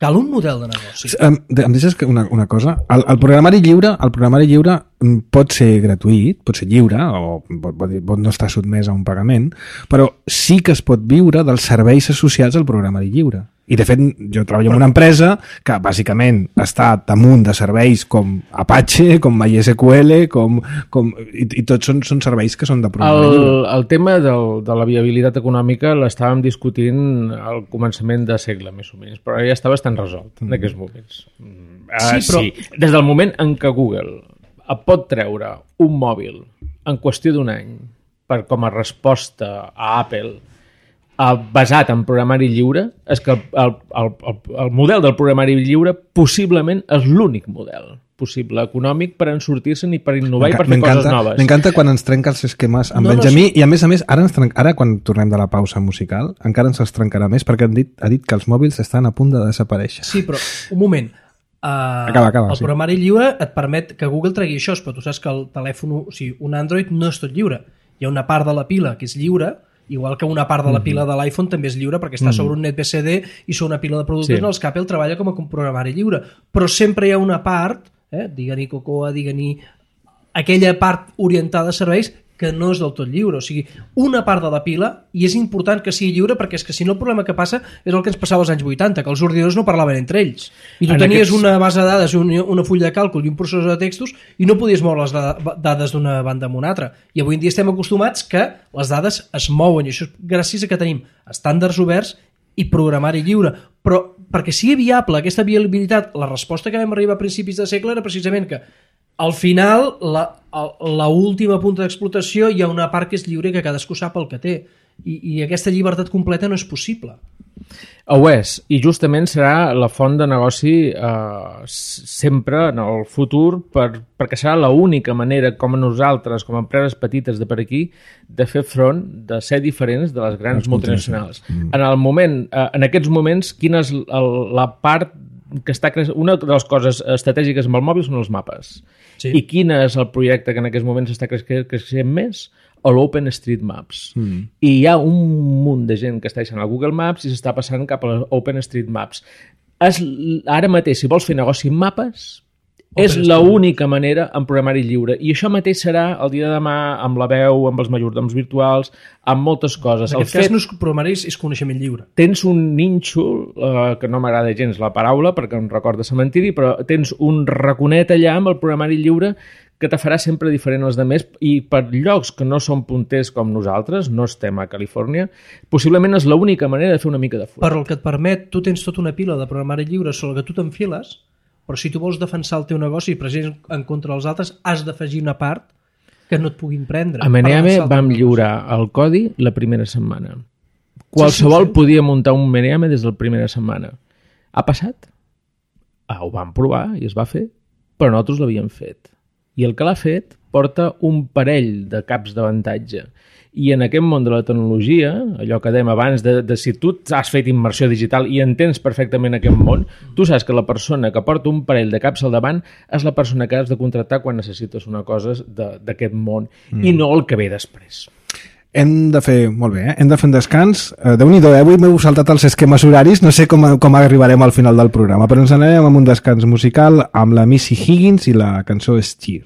C: Cal un model de negoci.
A: Em deixes una cosa? El programari lliure pot ser gratuït, pot ser lliure, o pot no estar sotmès a un pagament, però sí que es pot viure dels serveis associats al programari lliure. I, de fet, jo treballo en una empresa que, bàsicament, està damunt de serveis com Apache, com MySQL, i tots són serveis que són de programari lliure.
D: El tema de la viabilitat econòmica l'estàvem discutint al començament de segle, més o menys, però ja està bastant resolt en aquests moments. Sí. Des del moment en què Google pot treure un mòbil en qüestió d'un any com a resposta a Apple basat en programari lliure, és que el model del programari lliure possiblement és l'únic model possible econòmic per en sortir-se'n i per innovar i per fer coses noves.
A: M'encanta quan ens trenca els esquemes amb Benjamí i a més, ara quan tornem de la pausa musical encara ens els trencarà més perquè ha dit que els mòbils estan a punt de desaparèixer.
C: Sí, però un moment. El programari lliure et permet que Google tregui això, però tu saps que el telèfon, o sigui, un Android no és tot lliure. Hi ha una part de la pila que és lliure, igual que una part de la pila de l'iPhone també és lliure perquè està sobre un net BCD i sobre una pila de productes en els que Apple treballa com a programari lliure. Però sempre hi ha una part, digue-n'hi Cocoa, digue-n'hi aquella part orientada a serveis que no és del tot lliure, o sigui, una part de la pila, i és important que sigui lliure perquè és que si no el problema que passa és el que ens passava als anys 80, que els ordinadors no parlaven entre ells i tu tenies una base de dades, una full de càlcul i un processor de textos i no podies moure les dades d'una banda a una altra, i avui en dia estem acostumats que les dades es mouen i això és gràcies a que tenim estàndards oberts i programari lliure, però perquè sigui viable aquesta viabilitat, la resposta que vam arribar a principis de segle era precisament que al final, la última punta d'explotació hi ha una part que és lliure i que cadascú sap el que té. I aquesta llibertat completa no és possible.
D: Ho és, i justament serà la font de negoci sempre en el futur perquè serà l'única manera com a nosaltres, com a empreses petites de per aquí, de fer front, de ser diferents de les grans multinacionals. En aquests moments, quina és la part que està una de les coses estratègiques amb el mòbil són els mapes. Sí. I quin és el projecte que en aquests moments està creixent més? o l'OpenStreetMaps. I hi ha un munt de gent que està deixant el Google Maps i s'està passant cap a l'OpenStreetMaps. Ara mateix, si vols fer negoci amb mapes, és l'única manera en programari lliure. I això mateix serà el dia de demà amb la veu, amb els majordoms virtuals, amb moltes coses.
C: En aquest cas no és programari, és coneixement lliure.
D: Tens un nínxol, que no m'agrada gens la paraula perquè em recorda cementiri, però tens un raconet allà amb el programari lliure que te farà sempre diferent als demés, i per llocs que no són punters com nosaltres, no estem a Califòrnia, possiblement és l'única manera de fer una mica de fora.
C: Per el que et permet, tu tens tota una pila de programari lliure sobre que tu t'enfiles, però si tu vols defensar el teu negoci i presents en contra dels altres, has d'afegir una part que no et puguin prendre.
D: A Meneame vam lliurar el codi la primera setmana. Qualsevol podia muntar un Meneame des de la primera setmana. Ha passat? Ho vam provar i es va fer, però nosaltres l'havíem fet. I el que l'ha fet porta un parell de caps d'avantatge. I en aquest món de la tecnologia, allò que dèiem abans, de si tu has fet immersió digital i entens perfectament aquest món, tu saps que la persona que porta un parell de caps al davant és la persona que has de contractar quan necessites una cosa d'aquest món i no el que ve després.
A: Hem de fer, molt bé, hem de fer un descans. Déu-n'hi-do, avui m'heu saltat els esquemes horaris, no sé com arribarem al final del programa, però ens anem amb un descans musical amb la Missy Higgins i la cançó Steer.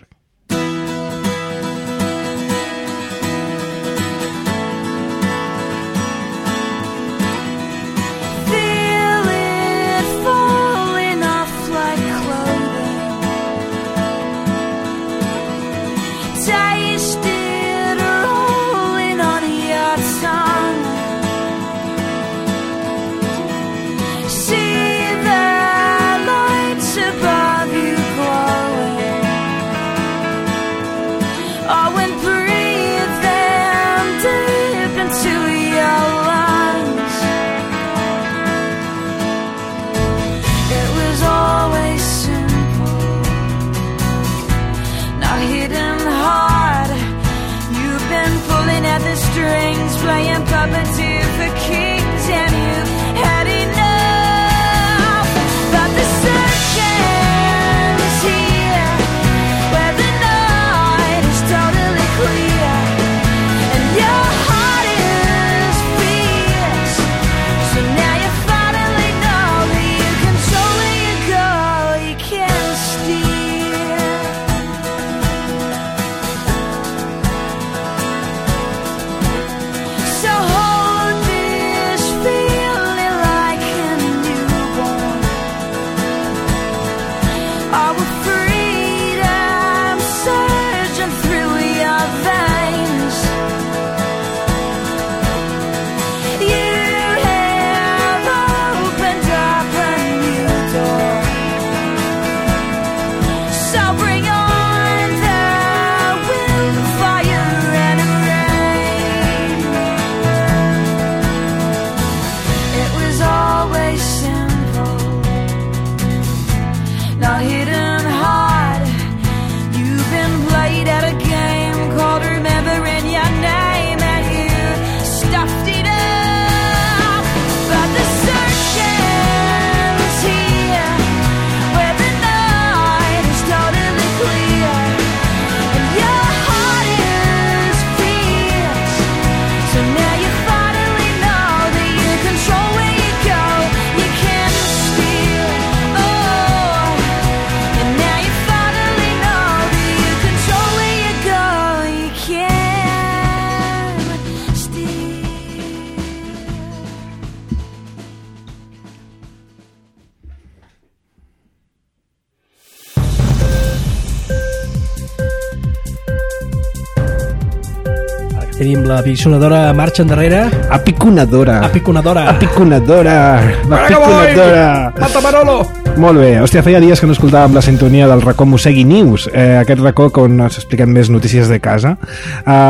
C: Tenim la piconadora marxa endarrere.
A: Apiconadora.
C: Apiconadora.
A: Apiconadora. Apiconadora.
C: Mata Manolo.
A: Molt bé. Hòstia, feia dies que no escoltàvem la sintonia del racó Mossegui News, aquest racó on us expliquem més notícies de casa.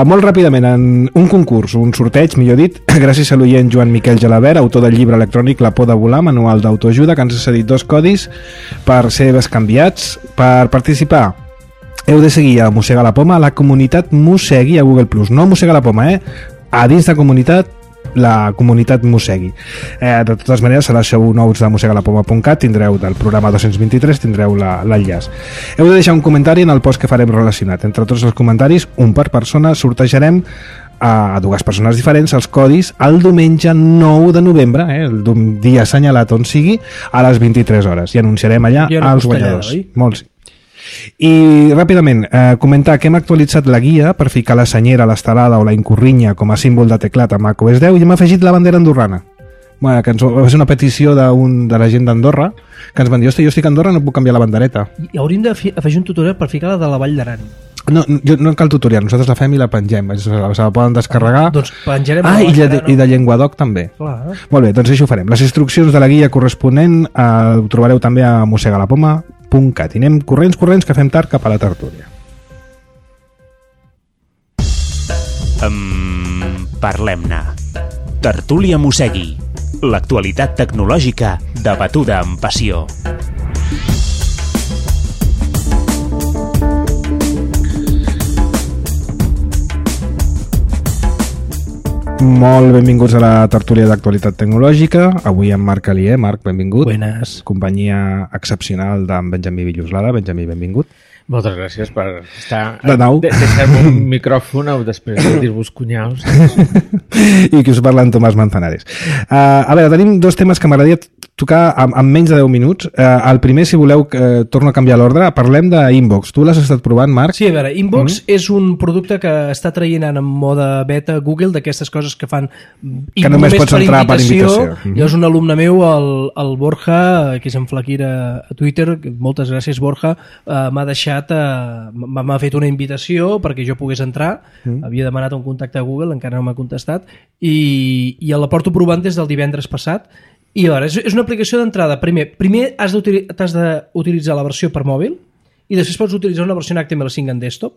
A: Molt ràpidament, en un concurs, un sorteig, millor dit, gràcies a l'oient Joan Miquel Gelabert, autor del llibre electrònic La por de volar, manual d'autoajuda, que ens ha cedit 2 codis per ser bescanviats. Per participar, heu de seguir a Mossega la Poma a la comunitat Mossegui a Google+. No Mossega la Poma, a dins de comunitat la comunitat mossegui. De totes maneres, serà show nous de mossegalapoma.cat, tindreu del programa 223, tindreu l'enllaç. Heu de deixar un comentari en el post que farem relacionat. Entre tots els comentaris, un per persona, sortejarem a dues persones diferents els codis el diumenge 9 de novembre, el dia assenyalat on sigui, a les 23 hores, i anunciarem allà els guanyadors. Molts. I ràpidament, comentar que hem actualitzat la guia per ficar la senyera, l'estelada o la incorrinya com a símbol de teclat a macOS 10 i hem afegit la bandera andorrana. Bueno, que va ser una petició de la gent d'Andorra que ens van dir, hosti, jo estic a Andorra, no puc canviar la bandereta.
C: I hauríem d'afegir un tutorial per ficar la de la Vall d'Aran.
A: No cal tutorial, nosaltres la fem i la pengem, se la poden descarregar.
C: Doncs penjarem
A: i de Llenguadoc també.
C: Clar.
A: Molt bé, doncs això ho farem. Les instruccions de la guia corresponent ho trobareu també a mossegalapoma.cat. I anem corrents, que fem tard cap a la tertúlia.
B: Parlem-ne. Tertúlia Mossegui. L'actualitat tecnològica debatuda amb passió.
A: Molt benvinguts a la tertúlia d'actualitat tecnològica. Avui amb Marc Alier. Marc, benvingut.
C: Buenas.
A: Companyia excepcional d'en Benjamí Villuslada. Benjamí, benvingut.
D: Moltes gràcies per estar...
A: De nou.
D: Deixar-me un micròfon després de dir-vos cunyaus.
A: I que us parla en Tomàs Manzanares. A veure, tenim dos temes que m'agradaria tocar en menys de 10 minuts. El primer, si voleu, torno a canviar l'ordre. Parlem d'Inbox. Tu l'has estat provant, Marc?
C: Sí, a veure, Inbox és un producte que està traient en mode beta Google, d'aquestes coses que fan
A: que només pots entrar per invitació.
C: És un alumne meu, el Borja, que és en Flaquira a Twitter, moltes gràcies, Borja, m'ha deixat m'ha fet una invitació perquè jo pogués entrar. Havia demanat un contacte a Google, encara no m'ha contestat, i la porto provant des del divendres passat. I a veure, és una aplicació d'entrada. Primer has d'utilitzar la versió per mòbil i després pots utilitzar una versió en HTML5 en desktop,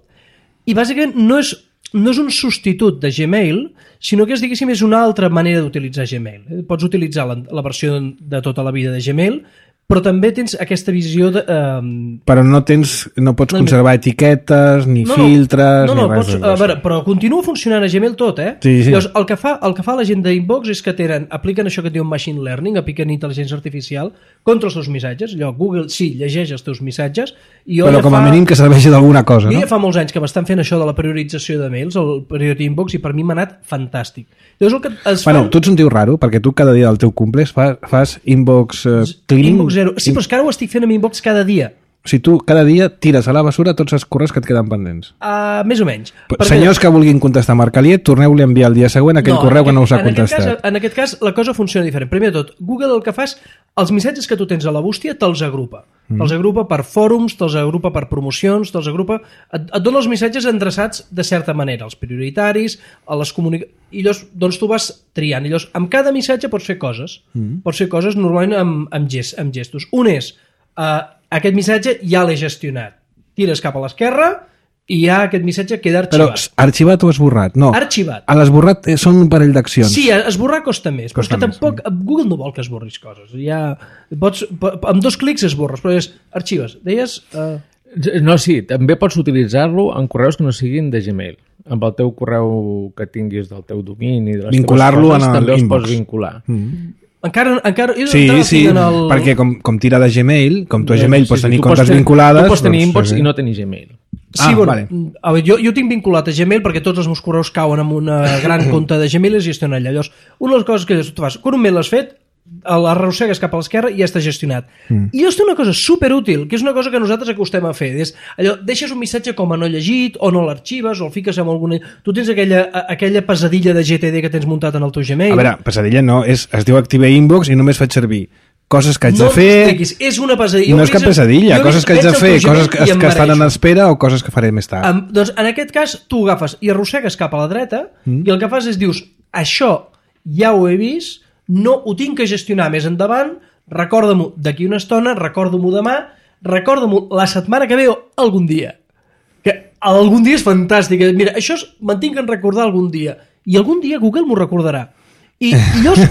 C: i bàsicament no és un substitut de Gmail, sinó que diguéssim és una altra manera d'utilitzar Gmail. Pots utilitzar la versió de tota la vida de Gmail, però també tens aquesta visió de...
A: Però no pots conservar etiquetes, ni filtres, ni res.
C: A veure, però continua funcionant a Gmail tot,
A: Sí.
C: Llavors, el que fa la gent d'Inbox és que apliquen això que diu Machine Learning, apliquen intel·ligència artificial contra els teus missatges. Allò, Google sí, llegeix els teus missatges, i
A: però com a mínim que serveixi d'alguna cosa, no?
C: Ja fa molts anys que m'estan fent això de la priorització de mails, el període Inbox, i per mi m'ha anat fantàstic. Llavors, el que
A: tu ets un tio raro, perquè tu cada dia del teu cumple fas Inbox cleaning.
C: Inbox zero. Sí, però és que ara ho estic fent amb Inbox cada dia.
A: O sigui, tu cada dia tires a la basura tots els correus que et queden pendents.
C: Més o menys.
A: Senyors que vulguin contestar a Marc Alier, torneu-li a enviar el dia següent aquell correu que no us ha contestat.
C: En aquest cas, la cosa funciona diferent. Primer de tot, Google el que fa és els missatges que tu tens a la bústia te'ls agrupa. Te'ls agrupa per fòrums, te'ls agrupa per promocions, te'ls agrupa... Et dona els missatges endreçats de certa manera, els prioritaris, a les comunicacions... I llavors, doncs tu vas triant. I llavors, amb cada missatge pots fer coses. Pots fer coses normalment amb gestos. Un és... aquest missatge ja l'he gestionat. Tires cap a l'esquerra i ja aquest missatge queda arxivat.
A: Però arxivat o esborrat? No.
C: Arxivat.
A: A l'esborrat són un parell d'accions.
C: Sí, esborrar costa més, però és que tampoc Google no vol que esborris coses. Ja amb 2 clics esborres, però és arxives. Deies...
D: No, sí, també pots utilitzar-lo en correus que no siguin de Gmail. Amb el teu correu que tinguis del teu domini, de les
A: vincular-lo
D: teves coses, també els
A: Inbox.
D: pots vincular.
C: Encara
A: sí, perquè com tira de Gmail, com tu a Gmail pots tenir comptes vinculades...
D: Tu pots tenir Inbox i no tenir Gmail.
C: Sí, vale. A veure, jo tinc vinculat a Gmail perquè tots els meus correus cauen en una gran compte de Gmail i es gestiona allà. Llavors, una de les coses que tu fas, quan un mail l'has fet, l'arrossegues cap a l'esquerra i ja està gestionat. I llavors té una cosa superútil, que és una cosa que nosaltres acostem a fer. És allò, deixes un missatge com a no llegit, o no l'arxives, o el fiques amb alguna... Tu tens aquella pesadilla de GTD que tens muntat en el teu Gmail.
A: A veure, pesadilla no, es diu Active Inbox i només faig servir coses que haig de fer...
C: És una pesadilla.
A: No és cap pesadilla, coses que haig de fer, coses que estan en espera o coses que faré més tard.
C: Doncs en aquest cas tu agafes i arrossegues cap a la dreta i el que fas és dius, això ja ho he vist, no ho tinc que gestionar més endavant, recorda-m'ho d'aquí una estona, recorda-m'ho demà, recorda-m'ho la setmana que ve o algun dia. Que algun dia és fantàstic. Mira, això me'n tinc que recordar algun dia. I algun dia Google m'ho recordarà. I llavors,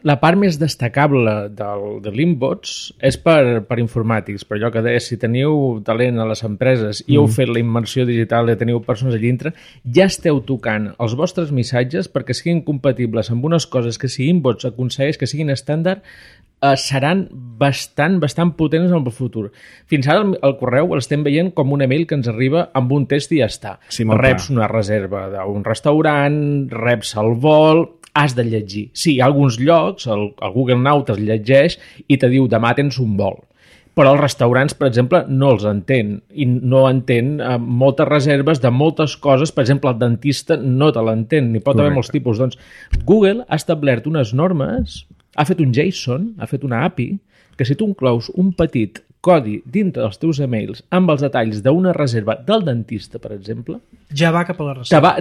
D: La part més destacable de l'Inbox és per informàtics, per allò que deia, si teniu talent a les empreses i heu fet la immersió digital i teniu persones allà dintre, ja esteu tocant els vostres missatges perquè siguin compatibles amb unes coses que si Inbox aconsegueix que siguin estàndard, seran bastant potents en el futur. Fins ara el correu l'estem veient com un email que ens arriba amb un test i ja està.
A: Sí,
D: reps una reserva d'un restaurant, reps el vol, has de llegir. Sí, hi ha alguns llocs, el Google Now te'ls llegeix i te diu demà tens un vol. Però els restaurants, per exemple, no els entén. I no entén moltes reserves de moltes coses. Per exemple, el dentista no te l'entén, ni pot haver molts tipus. Doncs Google ha establert unes normes, ha fet un JSON, ha fet una API, que si tu inclous un petit codi dintre dels teus emails amb els detalls d'una reserva del dentista, per exemple,
C: ja va cap a la reserva.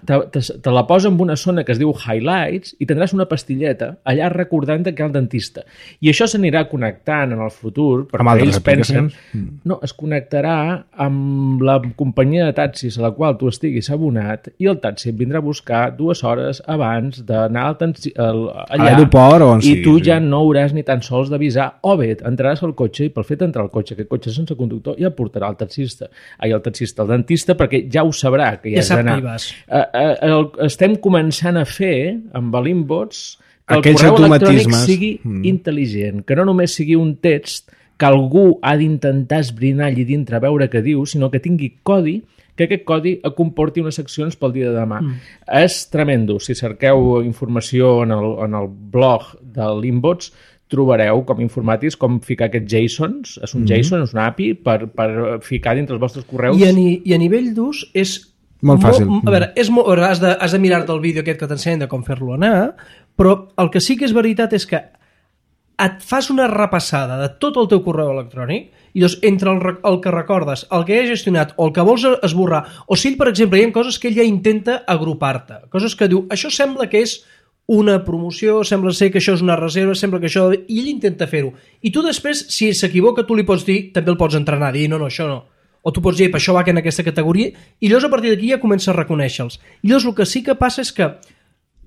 D: Te la posa en una zona que es diu Highlights i tindràs una pastilleta allà recordant que hi ha el dentista. I això s'anirà connectant en el futur, perquè ells pensen... No, es connectarà amb la companyia de taxis a la qual tu estiguis abonat i el taxi et vindrà a buscar 2 hores abans d'anar allà
A: a l'aeroport o on sigui.
D: I tu ja no hauràs ni tan sols d'avisar, o bé, entraràs al cotxe i pel fet d'entrar al cotxe, aquest cotxe sense conductor, ja portarà el taxista. El dentista, perquè ja ho sabrà que ja has d'anar. Estem començant a fer amb l'Inbox que el correu electrònic sigui intel·ligent, que no només sigui un text que algú ha d'intentar esbrinar allà dintre a veure què diu, sinó que tingui codi, que aquest codi comporti unes seccions pel dia de demà. És tremendo. Si cerqueu informació en el blog de l'Inbox, trobareu com informàtics com ficar aquests JSONs, és un JSON, és una API, per ficar dintre els vostres correus.
C: I a nivell d'ús és
A: molt fàcil.
C: A veure, has de mirar-te el vídeo aquest que t'ensenya de com fer-lo anar, però el que sí que és veritat és que et fas una repassada de tot el teu correu electrònic i doncs entre el que recordes, el que has gestionat o el que vols esborrar, o si ell, per exemple, hi ha coses que ell ja intenta agrupar-te, coses que diu, això sembla que és una promoció, sembla ser que això és una reserva, sembla que això... I ell intenta fer-ho. I tu després, si s'equivoca, tu li pots dir, també el pots entrenar, dir, no, això no. O tu pots dir, això va en aquesta categoria, i llavors a partir d'aquí ja comença a reconèixer-los. I llavors el que sí que passa és que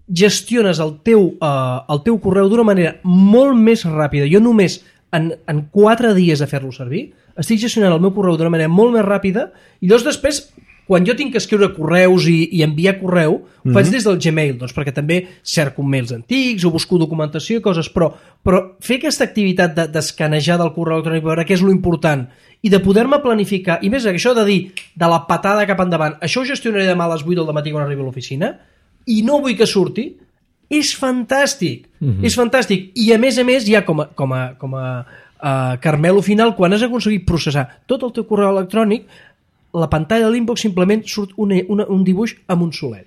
C: gestiones el teu correu d'una manera molt més ràpida. Jo només en 4 dies de fer-lo servir estic gestionant el meu correu d'una manera molt més ràpida i llavors després quan jo tinc que escriure correus i enviar correu, ho faig des del Gmail, doncs perquè també cerco mails antics o busco documentació i coses, però fer aquesta activitat d'escanejar del correu electrònic per veure què és lo important i de poder-me planificar, i més això de dir de la patada cap endavant, això ho gestionaré demà a les 8 del matí quan arribi a l'oficina i no vull que surti, és fantàstic, és fantàstic. I a més ja com a caramelo final, quan has aconseguit processar tot el teu correu electrònic, la pantalla de l'Inbox simplement surt un dibuix amb un solet.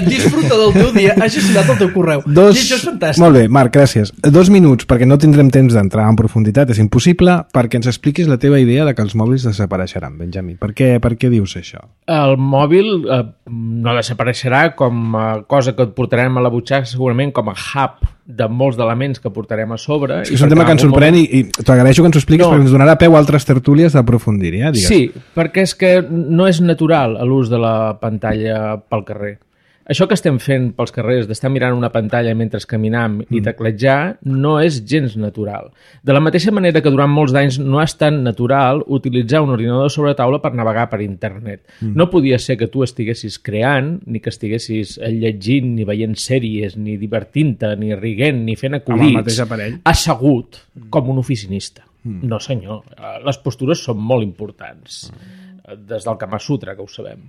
C: Disfruta del teu dia, has gestionat el teu correu. I això és fantàstic.
A: Molt bé, Marc, gràcies. 2 minuts, perquè no tindrem temps d'entrar en profunditat, és impossible, perquè ens expliquis la teva idea de que els mòbils desapareixeran, Benjamí. Per què dius això?
D: El mòbil no desapareixerà com a cosa que et portarem a la butxaca, segurament com a hub de molts d'elements que portarem a sobre.
A: És un tema que ens sorprèn i t'agraeixo que ens ho expliquis perquè ens donarà peu a altres tertúlies d'aprofundir.
D: Sí, perquè és que no és natural l'ús de la pantalla pel carrer. Això que estem fent pels carrers, d'estar mirant una pantalla mentre caminam i teclejar, no és gens natural. De la mateixa manera que durant molts d'anys no és tan natural utilitzar un ordinador sobre taula per navegar per internet. No podia ser que tu estiguessis creant, ni que estiguessis llegint, ni veient sèries, ni divertint-te, ni riguent, ni fent acudits, assegut com un oficinista. No, senyor. Les postures són molt importants. Des del Kama Sutra, que ho sabem.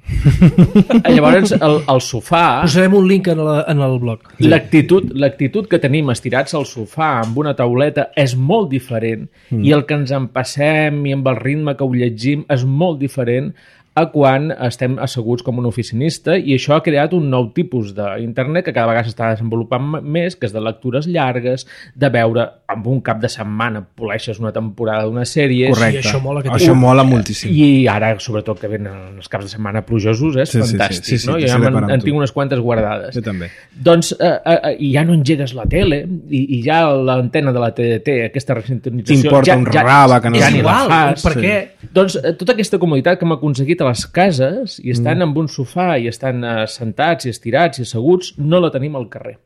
D: Llavors, el sofà...
C: Posarem un link en el blog.
D: L'actitud que tenim estirats al sofà amb una tauleta és molt diferent i el que ens en passem i amb el ritme que ho llegim és molt diferent a quan estem asseguts com un oficinista i això ha creat un nou tipus d'internet que cada vegada s'està desenvolupant més, que és de lectures llargues, de veure amb un cap de setmana poleixes una temporada d'una sèrie.
A: Correcte. Això mola moltíssim.
D: I ara, sobretot, que venen els caps de setmana plujosos, és fantàstic. Sí, no? Jo ja en tinc unes quantes guardades.
A: Jo també.
D: Doncs ja no engegues la tele i ja l'antena de la TDT, aquesta resintonització...
A: T'importa un raba que no...
D: Ja ni la fas.
C: Per què?
D: Doncs tota aquesta comoditat que hem aconseguit a les cases i estan amb un sofà i estan sentats i estirats i asseguts, no la tenim al carrer.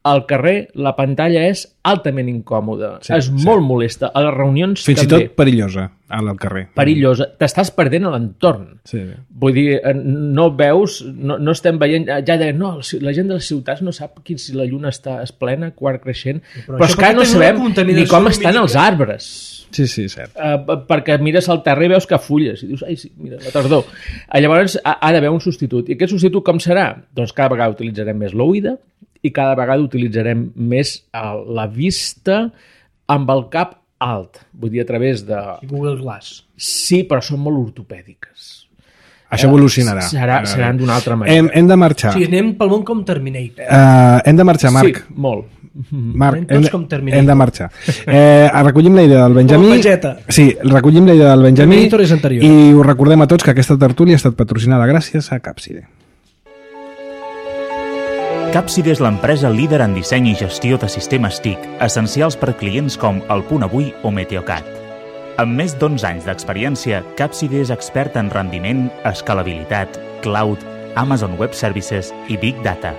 D: Al carrer la pantalla és altament incòmoda, és molt molesta. A les reunions
A: fins
D: també.
A: i tot perillosa al carrer.
D: Perillosa. T'estàs perdent a l'entorn.
A: Sí.
D: Vull dir, no veus, no estem veient... Ja deien, no, la gent de les ciutats no sap si la lluna està plena, quart creixent, però és que no sabem ni com estan els arbres.
A: Sí, cert.
D: Perquè mires al terra i veus que fulles i dius, ai, sí, mira, la tardor. Llavors ha d'haver un substitut. I aquest substitut com serà? Doncs cada vegada utilitzarem més l'oïda i cada vegada utilitzarem més la vista amb el cap alt. Vull dir, a través de...
C: Google Glass.
D: Sí, però són molt ortopèdiques.
A: Això evolucionarà.
D: Seran d'una altra manera.
A: Hem de marxar.
C: Sí, anem pel món com Terminator.
A: Hem de marxar, Marc.
D: Sí, molt.
A: Marc,
C: hem
A: de marxar. Recollim la idea del Benjamí. Sí, recollim la idea del Benjamí i us recordem a tots que aquesta tertúlia ha estat patrocinada gràcies a Capside.
B: Capside és l'empresa líder en disseny i gestió de sistemes TIC, essencials per clients com El Punt Avui o Meteocat. Amb més d'11 anys d'experiència, Capside és expert en rendiment, escalabilitat, cloud, Amazon Web Services i Big Data.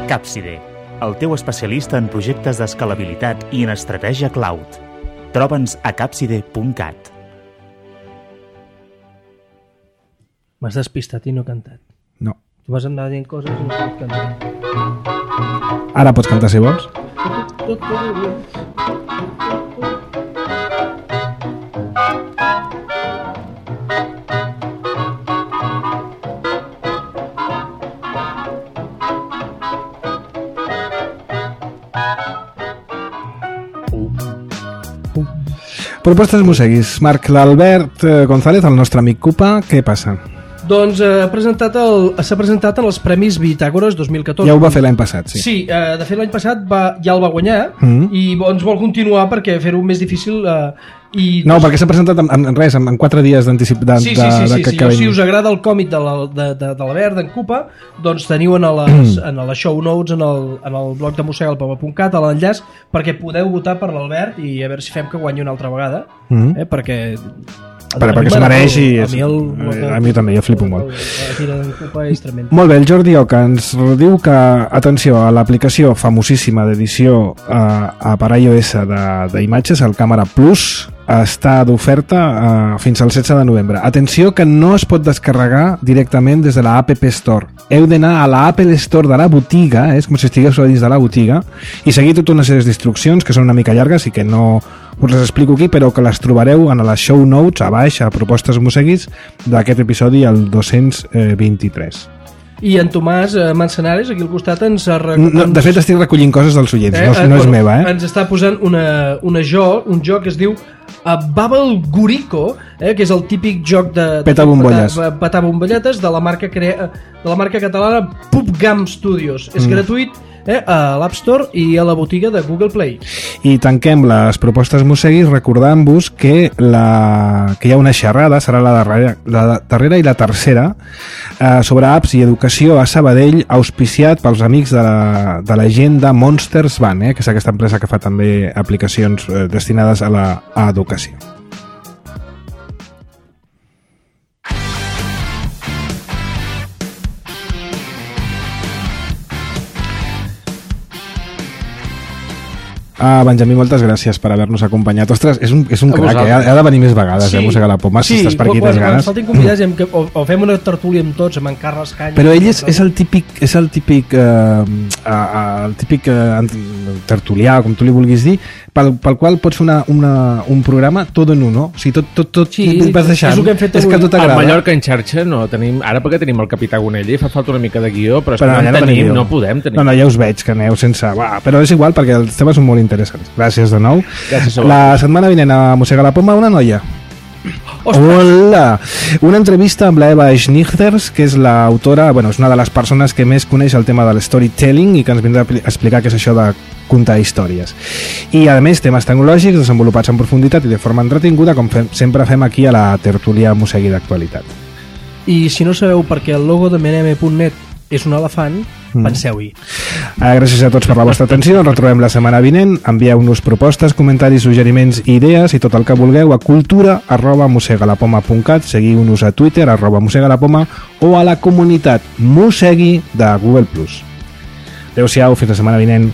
B: Capside, el teu especialista en projectes d'escalabilitat i en estratègia cloud. Troba'ns a capside.cat.
C: M'has despistat i no cantat.
A: No.
C: Tu vas anar dient coses i no pots cantar.
A: Ara pots cantar si vols. Propostes Museguis. Marc, l'Albert González, el nostre amic Cupa, què passa?
C: Doncs s'ha presentat en els Premis Bitàgores 2014.
A: Ja ho va fer l'any passat, sí.
C: Sí, de fet l'any passat ja el va guanyar i ens vol continuar perquè fer-ho més difícil...
A: No, perquè s'ha presentat en 4 dies d'anticiп...
C: Sí. Si us agrada el còmic de l'Albert, d'en Cupa, doncs teniu en les show notes, en el blog de mossegalpoma.cat, a l'enllaç, perquè podeu votar per l'Albert i a veure si fem que guanyi una altra vegada, perquè
A: s'ho mereix i a mi també, jo flipo molt. Molt bé, el Jordi Oca ens diu que, atenció, a l'aplicació famosíssima d'edició per iOS d'imatges, el Camera Plus, està d'oferta fins al 16 de novembre. Atenció que no es pot descarregar directament des de la App Store. Heu d'anar a la Apple Store de la botiga, és com si estigués dins de la botiga, i seguir tota una sèrie d'instruccions que són una mica llargues i que no us les explico aquí, però que les trobareu en les show notes, a baix, a Propostes Museguis, d'aquest episodi, el 223.
C: I en Tomàs Manzanares, aquí al costat, ens ha...
A: De fet, estic recollint coses dels oients, no és meva,
C: Ens està posant un joc que es diu Bubble Gurico, que és el típic joc de
A: petar
C: bombolletes de la marca catalana PubGam Studios. És gratuït a l'App Store i a la botiga de Google Play.
A: I tanquem les propostes Museguis recordant-vos que hi ha una xerrada, serà la darrera i la tercera, sobre apps i educació a Sabadell, auspiciat pels amics de la gent de Monsters Van, que és aquesta empresa que fa també aplicacions destinades a educació. Benjamí, moltes gràcies per haver-nos acompanyat. Ostres, és un crac, ha de venir més vegades, Mossegar la Poma, si estàs per aquí tens ganes.
C: Faltin convidats, o fem una tertúlia amb tots, amb en Carles Canya.
A: Però ell és el típic tertulià, com tu li vulguis dir, pel qual pots fer un programa tot en uno. O sigui, tot vas deixant. És que tot agrada.
D: A Mallorca en xarxa no tenim, ara perquè tenim el Capità Gonella i fa falta una mica de guió, però no podem tenir.
A: No, ja us veig que aneu sense... Però és igual, perquè els temes són molt interessants. Gràcies de nou. La setmana vinent a Mossegar la Poma, una noia. Hola! Una entrevista amb l'Eva Schnichters, que és l'autora, és una de les persones que més coneix el tema de l'storytelling i que ens vindrà a explicar què és això de contar històries. I a més, temes tecnològics desenvolupats en profunditat i de forma entretinguda, com sempre fem aquí a la tertúlia Mossegui d'actualitat.
C: I si no sabeu per què el logo de meneme.net és un elefant, penseu-hi.
A: Gràcies a tots per la vostra atenció. Ens retrobem la setmana vinent. Envieu-nos propostes, comentaris, suggeriments, idees i tot el que vulgueu a cultura@mossegalapoma.cat. Seguiu-nos a Twitter @mossegalapoma o a la comunitat Mossegui de Google+. Adéu-siau, fins la setmana vinent.